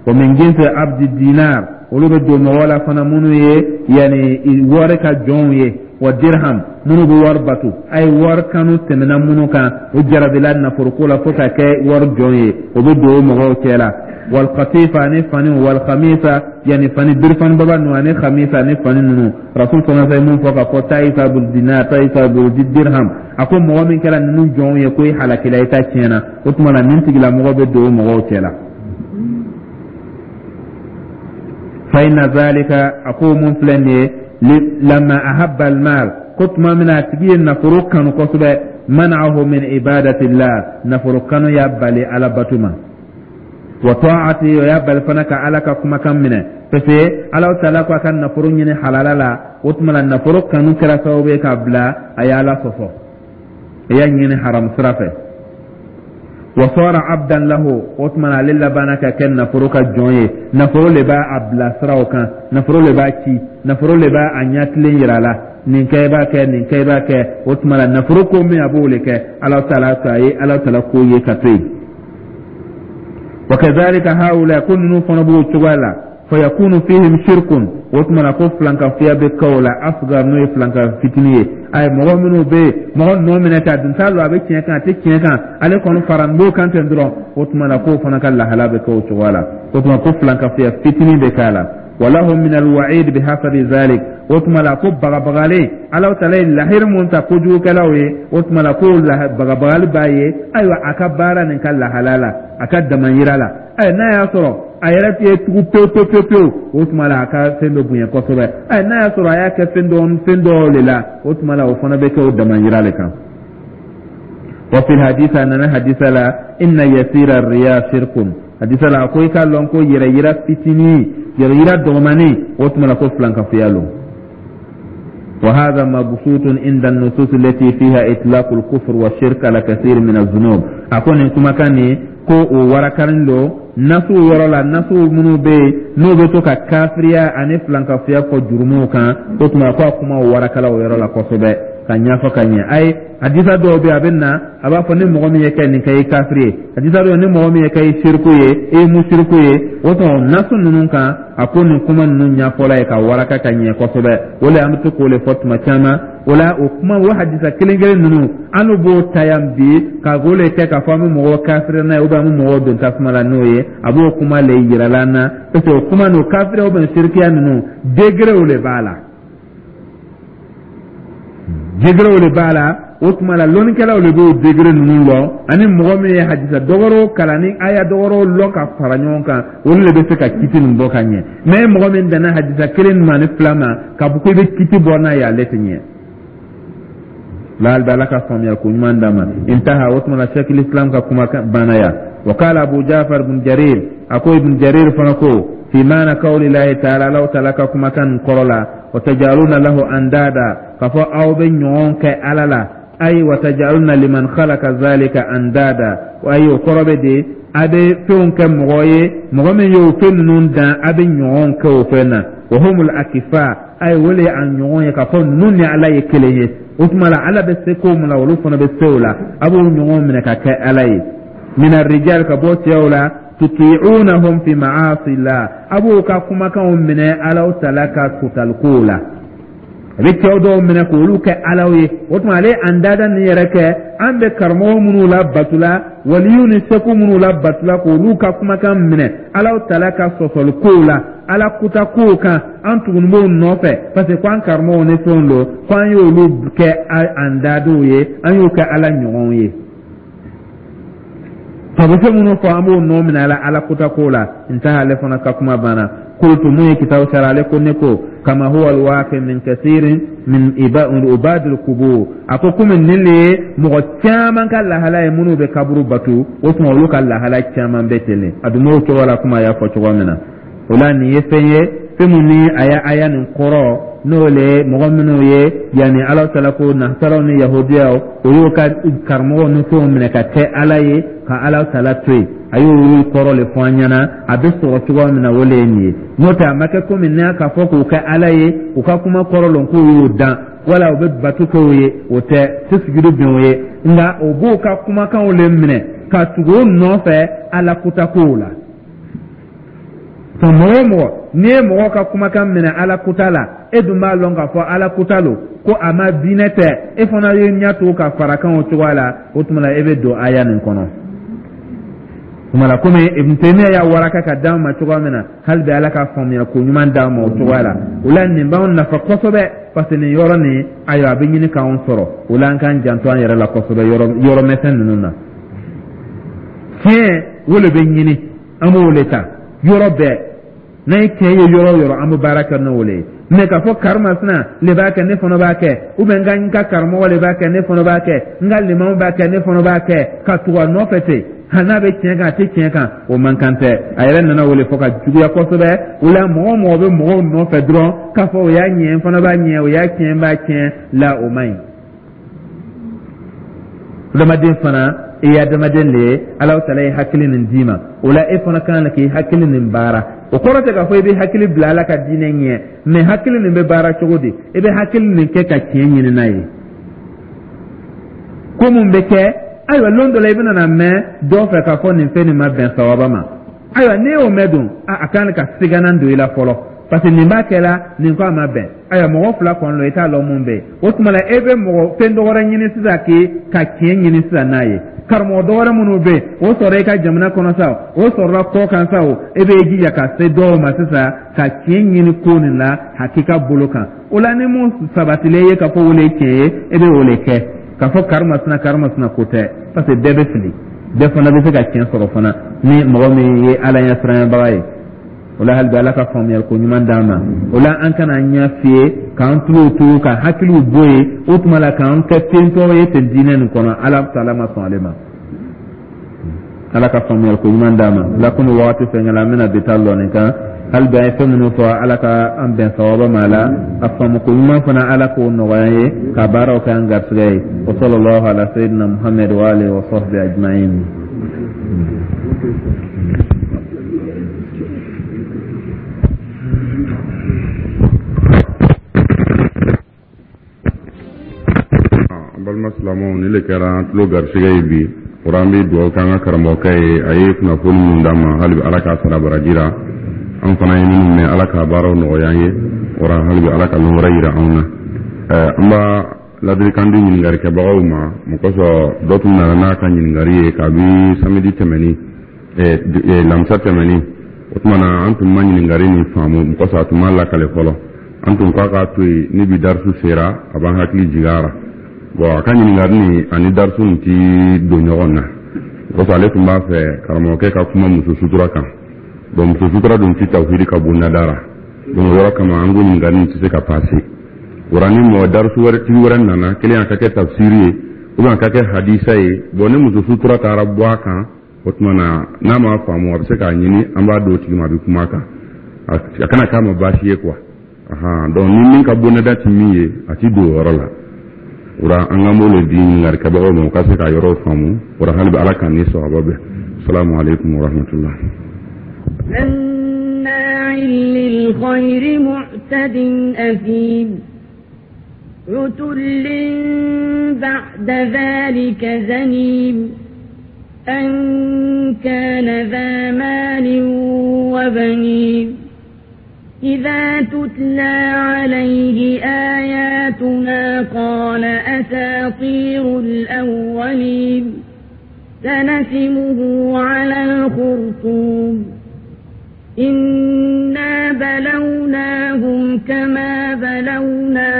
Wa min jinsi abdi dinar, olu bɛ don mɔgɔw la fana minnu ye yani wari ka jɔnw ye, wa dirham, minnu bɛ wari bato. A ye wari kanu tɛmɛna minnu kan, o jarabila nafoloko la fo ka kɛ wari jɔn ye, o bɛ don o mɔgɔw cɛ la. Wal qatifa ani fani, wal khamisa, yani fani birifani baba ninnu ani khamisa ani fani ninnu. Rasul sallallahu alaihi wasallam mun fɔ k'a fɔ ta'isa bil dinar, ta'isa bil dirham, a ko mɔgɔ min kɛra ninnu jɔnw ye ko i halakila, i ta tiɲɛna. O tuma na nin tigilamɔgɔ bɛ don o mɔgɔw cɛ la. Fa inna zalika, a ko mun filɛ nin ye, lamma ahabba almal, ko tuma min na a tigi ye nafolo kanu kosɛbɛ, mana'ahu min ibadatillah, nafolo kanu y'a bali Ala bato ma, wa ta'ati, o y'a bali fana ka Ala ka kumakan minɛ, parce que Ala taala ko a ka nafolo ɲini halala la. O tuma na nafolo kanu kɛra sababu ye k'a bila a ye Ala sɔsɔ, a y'a ɲini haram sira fɛ. Wa sara abdan lahu, o tuma na ale labanna ka kɛ nafolo ka jɔn ye. Nafolo le b'a a bila siraw kan, nafolo le b'a ci, nafolo le b'a a ɲɛtilen yira a la, nin kɛ i b'a kɛ, nin kɛ i b'a kɛ. O tuma na nafolo ko min a b'o le kɛ, Ala taala a ye Ala taala ko ye ka to yen. Wa kadhalika haula, ko ninnu fana b'o cogoya la. Fa yakunu fihim shirkun, o tuma na ko filankafoya bɛ kɛ o la, asgar, n'o ye filanka fitinin ye. Ayi, mɔgɔ minnu bɛ yen, mɔgɔ nɔ minɛ k'a dun t'a lɔn a bɛ tiɲɛ kan a tɛ tiɲɛ kan, ale kɔni fara n b'o kan ten dɔrɔn, o tuma na k'o fana ka lahala bɛ kɛ o cogoya la. O tuma ko filankafoya fitinin bɛ k'a la. Walahum min alwa'id bihasabi zalik, o tuma la ko bagabagalen, Ala taala ye lahiri mun ta kojugukɛlaw ye, o tuma la ko bagabagali b'a ye. Ayiwa, a ka baara nin ka lahala la, a ka damayira la, ayi, n'a y'a sɔrɔ a yɛrɛ tɛ tugu pewu pewu pewu pewu, o tuma la a ka fɛn bɛ bonya kosɛbɛ. Ayi, n'a y'a sɔrɔ a y'a kɛ fɛn dɔ fɛn dɔw de la, o tuma la o fana bɛ kɛ o damayira de kan. Wa fil hadisa, nana hadisa la, inna yasira riya shirkun, hadisa la ko i k'a lɔn ko yɛrɛ yira fitinin, yɛrɛ yira dɔgɔmanin, o tuma la ko filankafoya lo. وهذا مبسوط عند النصوص التي فيها إطلاق الكفر والشرك على كثير من الذنوب. أكون كما كان ko o warakarin do nasu yɔrɔ la, nasu minnu bɛ yen n'o bɛ to ka kafiriya ani filankafoya fɔ jurumuw kan, o tuma ko a kuma warakala o yɔrɔ la kosɛbɛ ka ɲɛfɔ ka ɲɛ. Ayi, hadisa dɔw bɛ yen, a bɛ na a b'a fɔ ni mɔgɔ min ye kɛ nin kɛ, i kafiri ye. Hadisa dɔw, ni mɔgɔ min ye kɛ, i siriku ye, i ye musiriku ye. O tuma nasu ninnu kan, a ko nin kuma ninnu ɲɛfɔla ye ka waraka ka ɲɛ kosɛbɛ. O le an bɛ to k'o le fɔ tuma caman. O la o kuma, o hadisa kelen kelen ninnu, an b'o ta yan bi ka k'o le kɛ k'a fɔ an bɛ mɔgɔw kafiri n'a ye, ou bien an bɛ mɔgɔw don tasuma la n'o ye. A b'o kuma le yirala an na, parce que o kuma n'o kafiri ou bien sirikiya ninnu, degerew le b'a la, degerew le b'a la. O tuma la lɔnnikɛlaw le b'o degere ninnu lɔn, ani mɔgɔ min ye hadisa dɔgɔrɔw kalan ni aya dɔgɔrɔw lɔn ka fara ɲɔgɔn kan, olu le bɛ se ka kiti nin bɔ ka ɲɛ. Mais mɔgɔ min danna hadisa kelen ma ni fila ma k'a fɔ ko i bɛ kiti bɔ n'a ye, ale tɛ ɲɛ. Laal bɛ Ala ka faamuya ko ɲuman d'a ma. Intaha, o tuma la Sheikh Islam ka kuma banna yan. Wa qala Abu Jafar ibn Jarir, a ko ibn Jarir fana ko fi maana qawli Lahi ta'ala, Allahu ta'ala ka kumakan kɔrɔ la, wa tajaluna lahu andada, k'a fɔ aw bɛ ɲɔgɔn kɛ Ala la. Ayi, wa tajaluna liman khalaqa zalika andada, ayi, o kɔrɔ bɛ de a bɛ fɛnw kɛ mɔgɔ ye, mɔgɔ min y'o fɛn ninnu dan, a bɛ ɲɔgɔn kɛ o fɛn na. Wa humul akifa, ayi, o le ye a ɲɔgɔn ye k'a fɔ ninnu ni Ala ye kelen ye. O tuma la Ala bɛ se ko min na, olu fana bɛ se o la, a b'o ɲɔgɔn minɛ ka kɛ Ala ye. Mina rijal, ka bɔ cɛw la, tuti'unahum fi ma'asillah, a b'o ka kumakanw minɛ Alaw tala ka kutalikow la. A bɛ cɛw dɔw minɛ k'olu kɛ Alaw ye. O tuma ale an dada nin yɛrɛ kɛ, an bɛ karamɔgɔ minnu la batula, waliyu ni seko minnu la batula, k'olu ka kumakan minɛ Alaw tala ka sɔsɔlikow la, Ala kuta kow kan, an tuguni b'o nɔfɛ parce que ko an karamɔgɔw ni fɛnw don, ko an y'olu kɛ an dadenw ye, an y'o kɛ Ala ɲɔgɔnw ye. Sabu fɛn minnu fɔ, an b'o nɔ minɛ ala Ala kuta ko la. N ta ale fana ka kuma banna. Qultu, mun ye kitabu sara, ale ko ne ko kama huwa alwaqi min kathirin min ubadil qubur. A ko komi nin le ye mɔgɔ caman ka lahala ye minnu bɛ kaburu batu, o tuma olu ka lahala caman bɛ ten de. A dun b'o cogo la komi a y'a fɔ cogo min na. O la nin ye fɛn ye, fɛn mun ni a y'a aya nin kɔrɔ, n'o le ye mɔgɔ minnu ye yanni Ala taala ko nasaraw ni yahudiyaw, o y'o ka karamɔgɔw ni fɛnw minɛ ka kɛ Ala ye, ka Ala taala to yen. A y'olu kɔrɔ le fɔ an ɲɛna, a bɛ sɔrɔ cogoya min na, o le ye nin ye. N'o tɛ, a ma kɛ komi n'a k'a fɔ k'o kɛ Ala ye, u ka kuma kɔrɔ lɔn k'o y'o dan, wala u bɛ bato kɛ o ye, o tɛ tɛ sujudu bin o ye. Nka o b'o ka kumakanw le minɛ ka tugu o nɔfɛ Ala kutakow la. Mɔgɔ o mɔgɔ n'i ye mɔgɔ ka kumakan minɛ Ala kuta la, e dun b'a lɔn k'a fɔ Ala kuta lo, ko a ma diinɛ tɛ, e fana ye ɲɛ to ka fara kan o cogoya la, o tuma la e bɛ don aya nin kɔnɔ. Tuma la komi Ibn Taymiya y'a waraka ka d'an ma cogoya min na, hali bi Ala ka faamuya ko ɲuman d'an ma o cogoya la. O la nin b'anw nafa kosɛbɛ, parce que nin yɔrɔ nin, ayiwa, a bɛ ɲini k'anw sɔrɔ. O la an k'an janto an yɛrɛ la kosɛbɛ yɔrɔ yɔrɔ misɛn ninnu na. Tiɲɛ o de bɛ ɲini, an b'o de ta yɔrɔ bɛɛ. N'an ye tiɲɛ ye yɔrɔ o yɔrɔ, an bɛ baara kɛ n'o le ye. Mɛ k'a fɔ karimasina le b'a kɛ, ne fana b'a kɛ, ou bien n ka n ka karamɔgɔ le b'a kɛ, ne fana b'a kɛ, n ka limamu b'a kɛ, ne fana b'a kɛ, ka tugu a nɔfɛ ten, hali n'a bɛ tiɲɛ kan, a tɛ tiɲɛ kan, o man kan tɛ. A yɛrɛ nana o le fɔ ka juguya kosɛbɛ. O la mɔgɔ o mɔgɔ bɛ mɔgɔw nɔfɛ dɔrɔn k'a fɔ o y'a ɲɛ, n fana b'a ɲɛ, o y'a tiɲɛ, n b'a tiɲɛ la, o man ɲi. Adamaden fana, i ye adamaden de ye, Ala taala ye hakili nin d'i ma. O la e fana kan k'i hakili nin baara. O kɔrɔ tɛ k'a fɔ i bɛ hakili bila Ala ka diinɛ ɲɛ, mɛ hakili nin bɛ baara cogo di? I bɛ hakili nin kɛ ka tiɲɛ ɲini n'a ye. Ko mun bɛ kɛ? Ayiwa, lon dɔ la i bɛna na mɛn dɔ fɛ k'a fɔ nin fɛn nin ma bɛn sawaba ma. Ayiwa, n'i y'o mɛn dun, a kan ka siganan don i la fɔlɔ, parce que nin b'a kɛ la, nin ko a ma bɛn. Ayiwa, mɔgɔ fila kɔni lo, i t'a lɔn mun bɛ yen. O tuma la e bɛ mɔgɔ fɛn dɔ wɛrɛ ɲini sisan k'i ka tiɲɛ ɲini sisan n'a ye. Karamɔgɔ dɔ wɛrɛ minnu bɛ yen, o sɔrɔ i ka jamana kɔnɔ sa, o sɔrɔla kɔ kan sa, o e bɛ jija ka se dɔw ma sisan ka tiɲɛ ɲini ko nin la hakika bolo kan. O la ni mun sabatilen ye k'a fɔ o le ye tiɲɛ ye, e bɛ o le kɛ. K'a fɔ karimasina karimasina ko tɛ, parce que bɛɛ bɛ fili, bɛɛ fana bɛ se ka tiɲɛ sɔrɔ fana ni mɔgɔ min ye Ala ɲɛsiranyabaga ye. O la hali bi Ala ka faamuyali ko ɲuman d'an ma. O la an kana ɲɛ fiyɛ k'an tulo to ka hakiliw bɔ yen, o tuma la k'an kɛ tentɔ ye ten diinɛ nin kɔnɔ. Ala taala ma sɔn ale ma. Ala ka faamuyali ko ɲuman d'an ma. La komi wagati fɛn la, an bɛna bi taa lɔ nin kan. Hali bi an ye fɛn minnu fɔ, Ala ka an bɛn sawaba ma la, a faamu ko ɲuman fana, Ala k'o nɔgɔya an ye ka baaraw kɛ an garisɛgɛ ye. Wa sallallahu ala sayyidina Muhammad wa alihi wa sahbihi ajma'in. An balima silamɛw, nin le kɛra an tulo garisɛgɛ ye bi. O an bɛ dugawu kɛ an ka karamɔgɔkɛ ye, a ye kunnafoni minnu d'an ma, hali bi Ala k'a sara baraji la. An fana ye minnu mɛn, Ala k'a baaraw nɔgɔya an ye. O hali bi Ala ka lon wɛrɛ yira anw na. An b'a ladilikan di ɲininkalikɛbagaw ma, mun kosɔn dɔ tun nana n'a ka ɲininkali ye kabi samedi tɛmɛni, lamisa tɛmɛni. O tuma na an tun ma ɲininkali nin faamu, mun kosɔn a tun ma lakale fɔlɔ. An tun k'a k'a to yen, ni bi darisu sera, a b'an hakili jigin a la. Bon, a ka ɲininkali nin ani darisu nin ti don ɲɔgɔn na, kosɔn ale tun b'a fɛ karamɔgɔkɛ ka kuma muso sutura kan. Bon, muso sutura dun ti tawhidi ka bon nadara. Donc o yɔrɔ kama an ko ɲininkali nin tɛ se ka passer. Wara ni mɔgɔ darisu wɛrɛ tigi wɛrɛ nana kelen, a ka kɛ tafsiri ye ou bien a ka kɛ hadisa ye, bon, ni muso sutura taara bɔ a kan, o tuma na n'a m'a faamu, a bɛ se k'a ɲini, an b'a d'o tigi ma, a bɛ kuma a kan, a kana k'a ma baasi ye quoi. Ahan, donc ni min ka bonnada ti min ye, a ti don o yɔrɔ la. Wara an k'an b'o le di ɲininkalikɛbagaw ma, u ka se k'a yɔrɔw faamu. Wara hali bi Ala k'an ni sawaba bɛn. Salamu aleykum wa rahmatullah. مناع للخير معتد أثيم عتل بعد ذلك زنيم أن كان ذا مال وبنين إذا تتلى عليه آياتنا قال أساطير الأولين سنسمه على الخرطوم إنا بلوناهم كما بلونا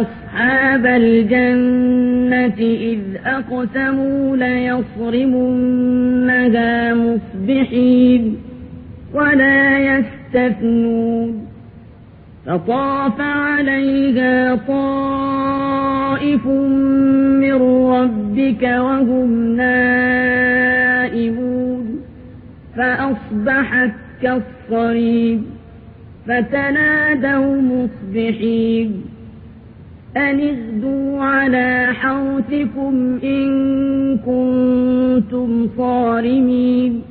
أصحاب الجنة إذ أقسموا ليصرمنها مصبحين ولا يستطيعون. يستثنون. فطاف عليها طائف من ربك وهم نائمون فأصبحت كالصريم فتنادوا مصبحين أن اغدوا على حرثكم إن كنتم صارمين.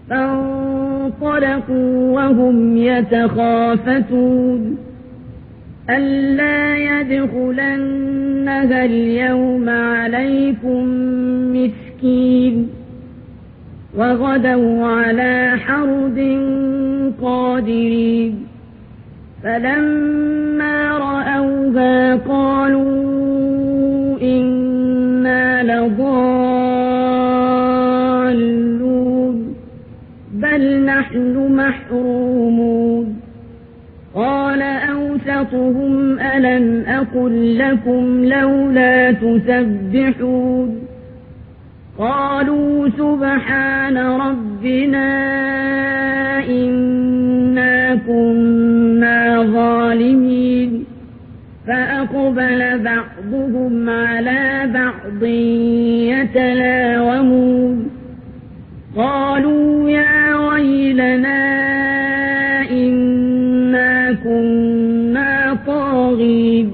فانطلقوا وهم يتخافتون ألا يدخلنها اليوم عليكم مسكين. وغدوا على حرد قادرين. فلما رأوها قالوا إنا لضالون بل نحن محرومون. قال أوسطهم ألم أقل لكم لولا تسبحون. قالوا سبحان ربنا إنا كنا ظالمين. فأقبل بعضهم على بعض يتلاومون. قالوا يا ويلنا إنا كنا طاغين.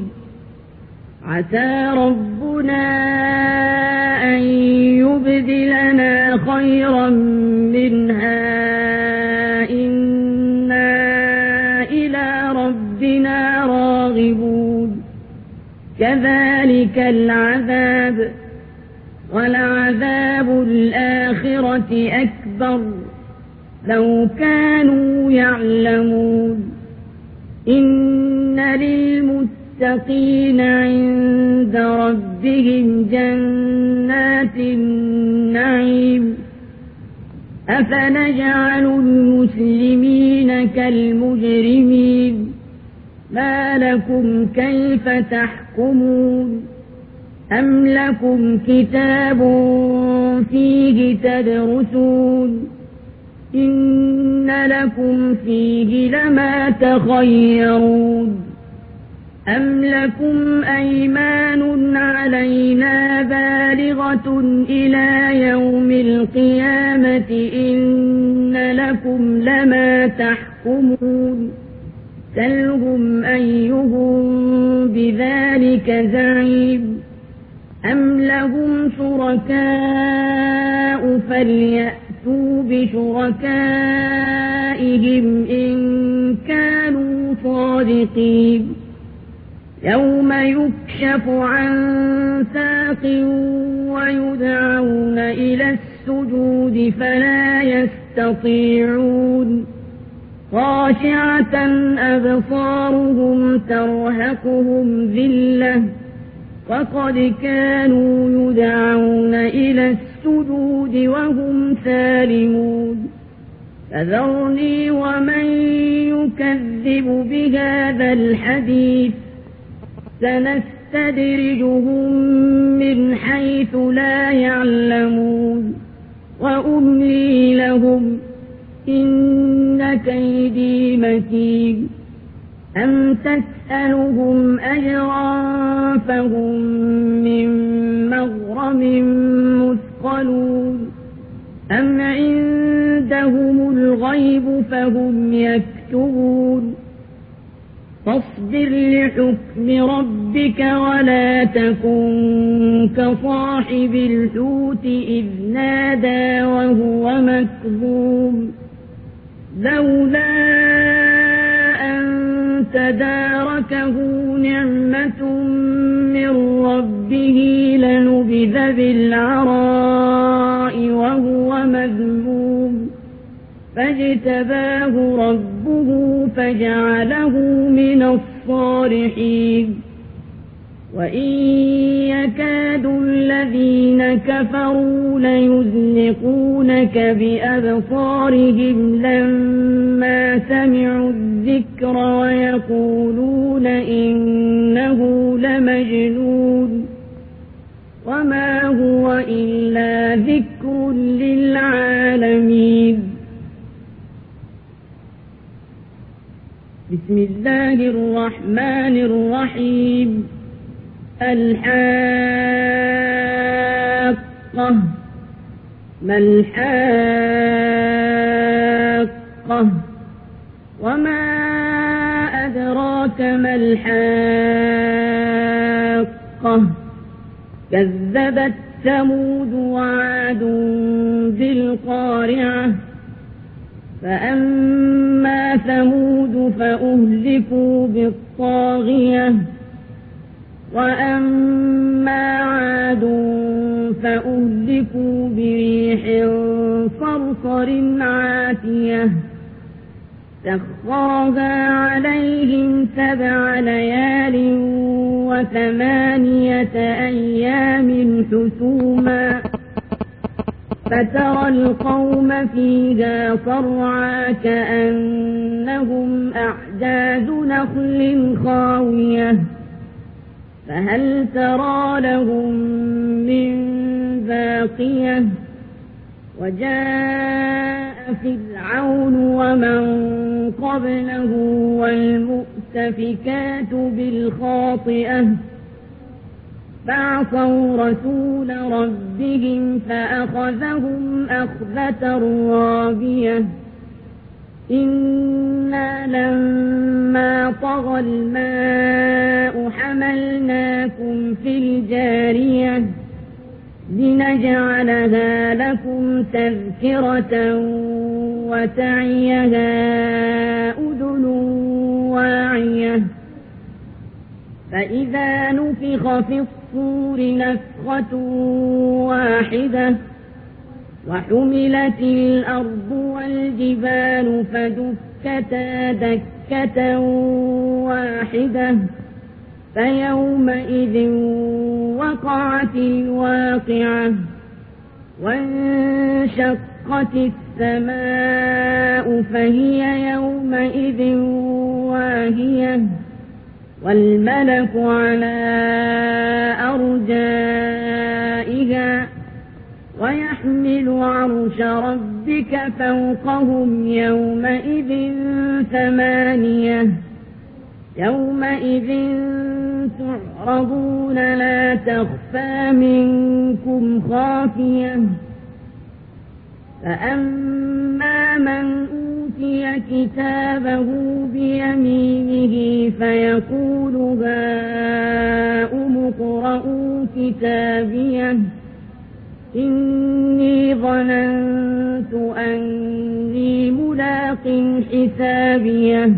عسى ربنا أن يبدلنا خيرا منها إنا إلى ربنا راغبون. كذلك العذاب ولعذاب الآخرة أكبر لو كانوا يعلمون. إن للمتقين عند ربهم جنات النعيم. أفنجعل المسلمين كالمجرمين ما لكم كيف تحكمون. أم لكم كتاب فيه تدرسون. إن لكم فيه لما تخيرون. أم لكم أيمان علينا بالغة إلى يوم القيامة إن لكم لما تحكمون. سلهم أيهم بذلك زعيم. أم لهم شركاء فليأتوا بشركائهم إن كانوا صادقين. يوم يكشف عن ساق ويدعون إلى السجود فلا يستطيعون. خاشعة أبصارهم ترهقهم ذلة وقد كانوا يدعون إلى السجود وهم سالمون. فذرني ومن يكذب بهذا الحديث سنستدرجهم من حيث لا يعلمون. وأملي لهم إن كيدي متين. أم تسألهم أجرا فهم من مغرم مثقلون. أم عندهم الغيب فهم يكتبون. فاصبر لحكم ربك ولا تكن كصاحب الحوت إذ نادى وهو مكظوم. لولا أن تداركه نعمة من ربه لنبذ بالعراء وهو مذموم. فاجتباه ربه فجعله من الصالحين. وإن يكاد الذين كفروا ليزلقونك بأبصارهم لما سمعوا الذكر ويقولون إنه لمجنون. وما هو إلا ذكر للعالمين. بسم الله الرحمن الرحيم الحاقة ما الحاقة وما أدراك ما الحاقة كذبت ثمود وعاد بالقارعة فأما ثمود فأهلكوا بالطاغية وأما عاد فأهلكوا بريح صرصر عاتية سخرها عليهم سبع ليال وثمانية أيام حسوما فترى القوم فيها صرعى كأنهم أعجاز نخل خاوية فهل ترى لهم من باقية وجاء فرعون ومن قبله والمؤتفكات بالخاطئة فعصوا رسول ربهم فأخذهم أخذة رابية إنا لما طغى الماء حملناكم في الجارية لنجعلها لكم تذكرة وتعيها أذن واعية فإذا نفخ في الصور نفخة واحدة وحملت الأرض والجبال فدكتا دكة واحدة فيومئذ وقعت الواقعة وانشقت السماء فهي يومئذ واهية والملك على أرجائها ويحمل عرش ربك فوقهم يومئذ ثمانية يومئذ تعرضون لا تخفى منكم خافية فأما من أوتي كتابه بيمينه فيقول هاؤم اقرءوا كتابيه إني ظننت أني ملاق حسابيه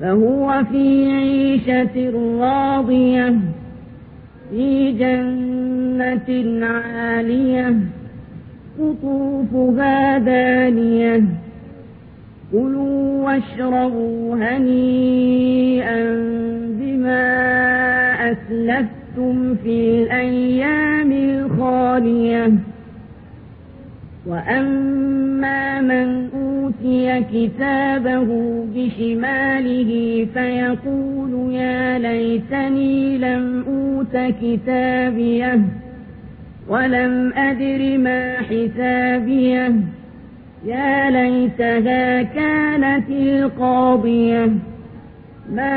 فهو في عيشة راضية في جنة عالية قطوفها دانية كلوا واشربوا هنيئا بما أسلفتم في الأيام الخالية وأما من أوتي كتابه بشماله فيقول يا ليتني لم أوت كتابيه ولم أدر ما حسابيه يا ليتها كانت القاضية ما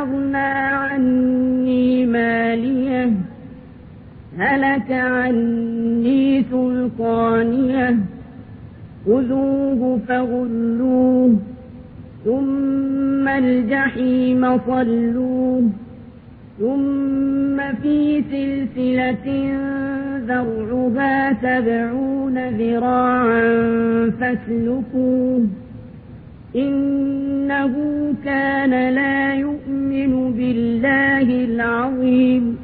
أغنى عني ماليه هلك عني سلطانيه خذوه فغلوه ثم الجحيم صلوه ثم في سلسلة ذرعها سبعون ذراعا فاسلكوه إنه كان لا يؤمن بالله العظيم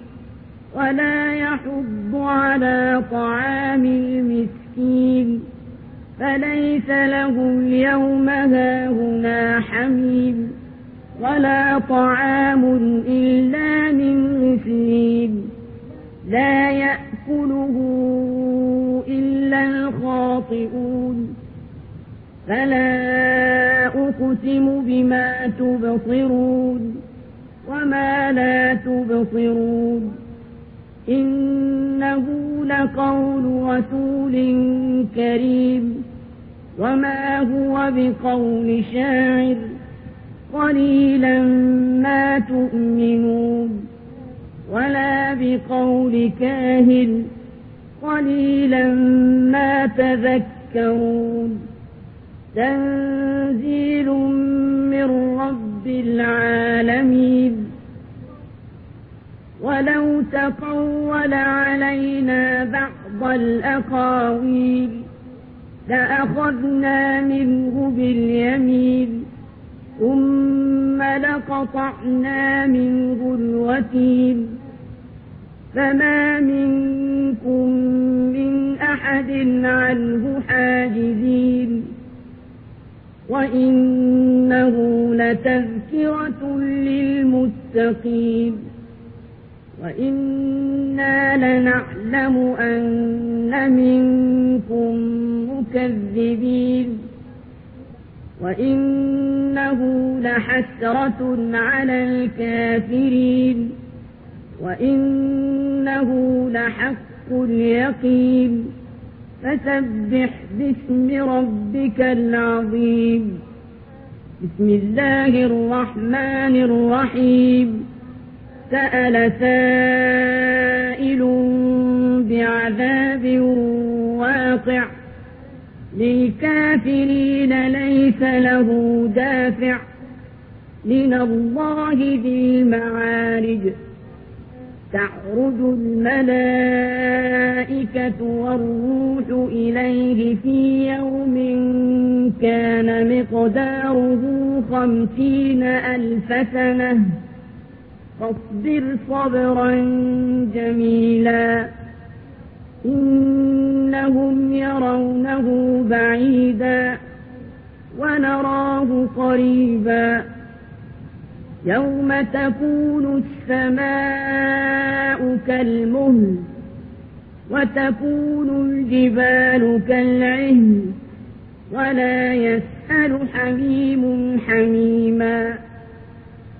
ولا يحض على طعام المسكين فليس له اليوم هاهنا حميم ولا طعام إلا من غسلين لا يأكله إلا الخاطئون فلا أقسم بما تبصرون وما لا تبصرون إنه لقول رسول كريم وما هو بقول شاعر قليلا ما تؤمنون ولا بقول كاهن قليلا ما تذكرون تنزيل من رب العالمين ولو تقول علينا بعض الأقاويل لأخذنا منه باليمين ثم لقطعنا منه الوتين فما منكم من أحد عنه حاجزين وإنه لتذكرة للمتقين وإنا لنعلم أن منكم مكذبين وإنه لحسرة على الكافرين وإنه لحق اليقين فسبح باسم ربك العظيم بسم الله الرحمن الرحيم سأل سائل بعذاب واقع للكافرين ليس له دافع من الله ذي المعارج تعرج الملائكة والروح إليه في يوم كان مقداره خمسين ألف سنة فاصبر صبرا جميلا إنهم يرونه بعيدا ونراه قريبا يوم تكون السماء كالمهل وتكون الجبال كالعهن ولا يسأل حميم حميما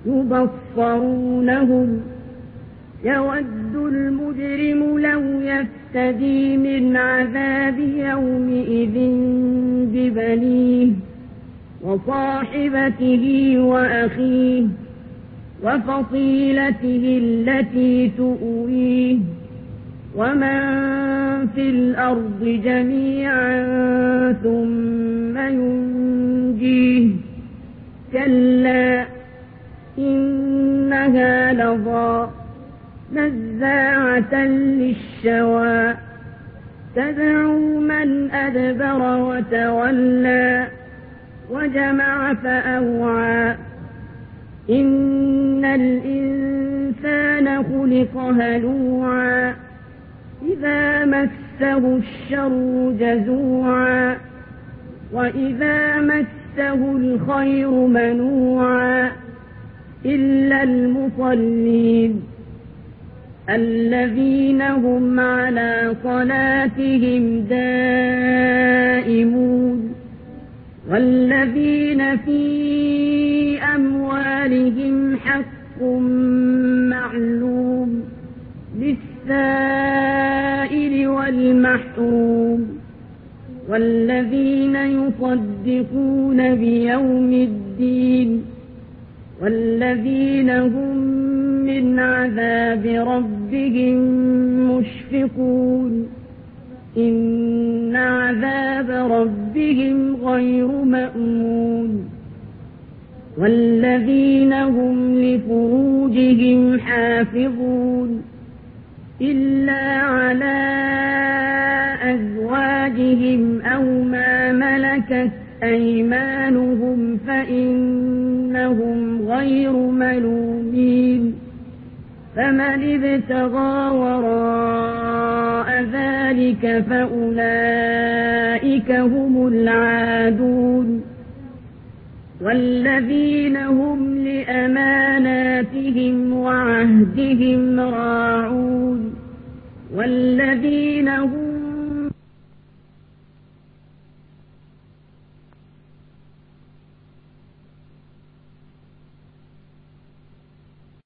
يبصرونهم يود المجرم لو يفتدي من عذاب يومئذ ببنيه وصاحبته وأخيه وفصيلته التي تؤويه ومن في الأرض جميعا ثم ينجيه كلا إنها لظى نزاعة للشوى تدعو من أدبر وتولى وجمع فأوعى إن الإنسان خلق هلوعا إذا مسه الشر جزوعا وإذا مسه الخير منوعا إلا المصلين الذين هم على صلاتهم دائمون والذين في أموالهم حق معلوم للسائل والمحروم والذين يصدقون بيوم الدين والذين هم من عذاب ربهم مشفقون إن عذاب ربهم غير مأمون والذين هم لفروجهم حافظون إلا على أزواجهم أو ما ملكت أيمانهم فإنهم غير ملومين فمن ابتغى وراء ذلك فأولئك هم العادون والذين هم لأماناتهم وعهدهم راعون والذين هم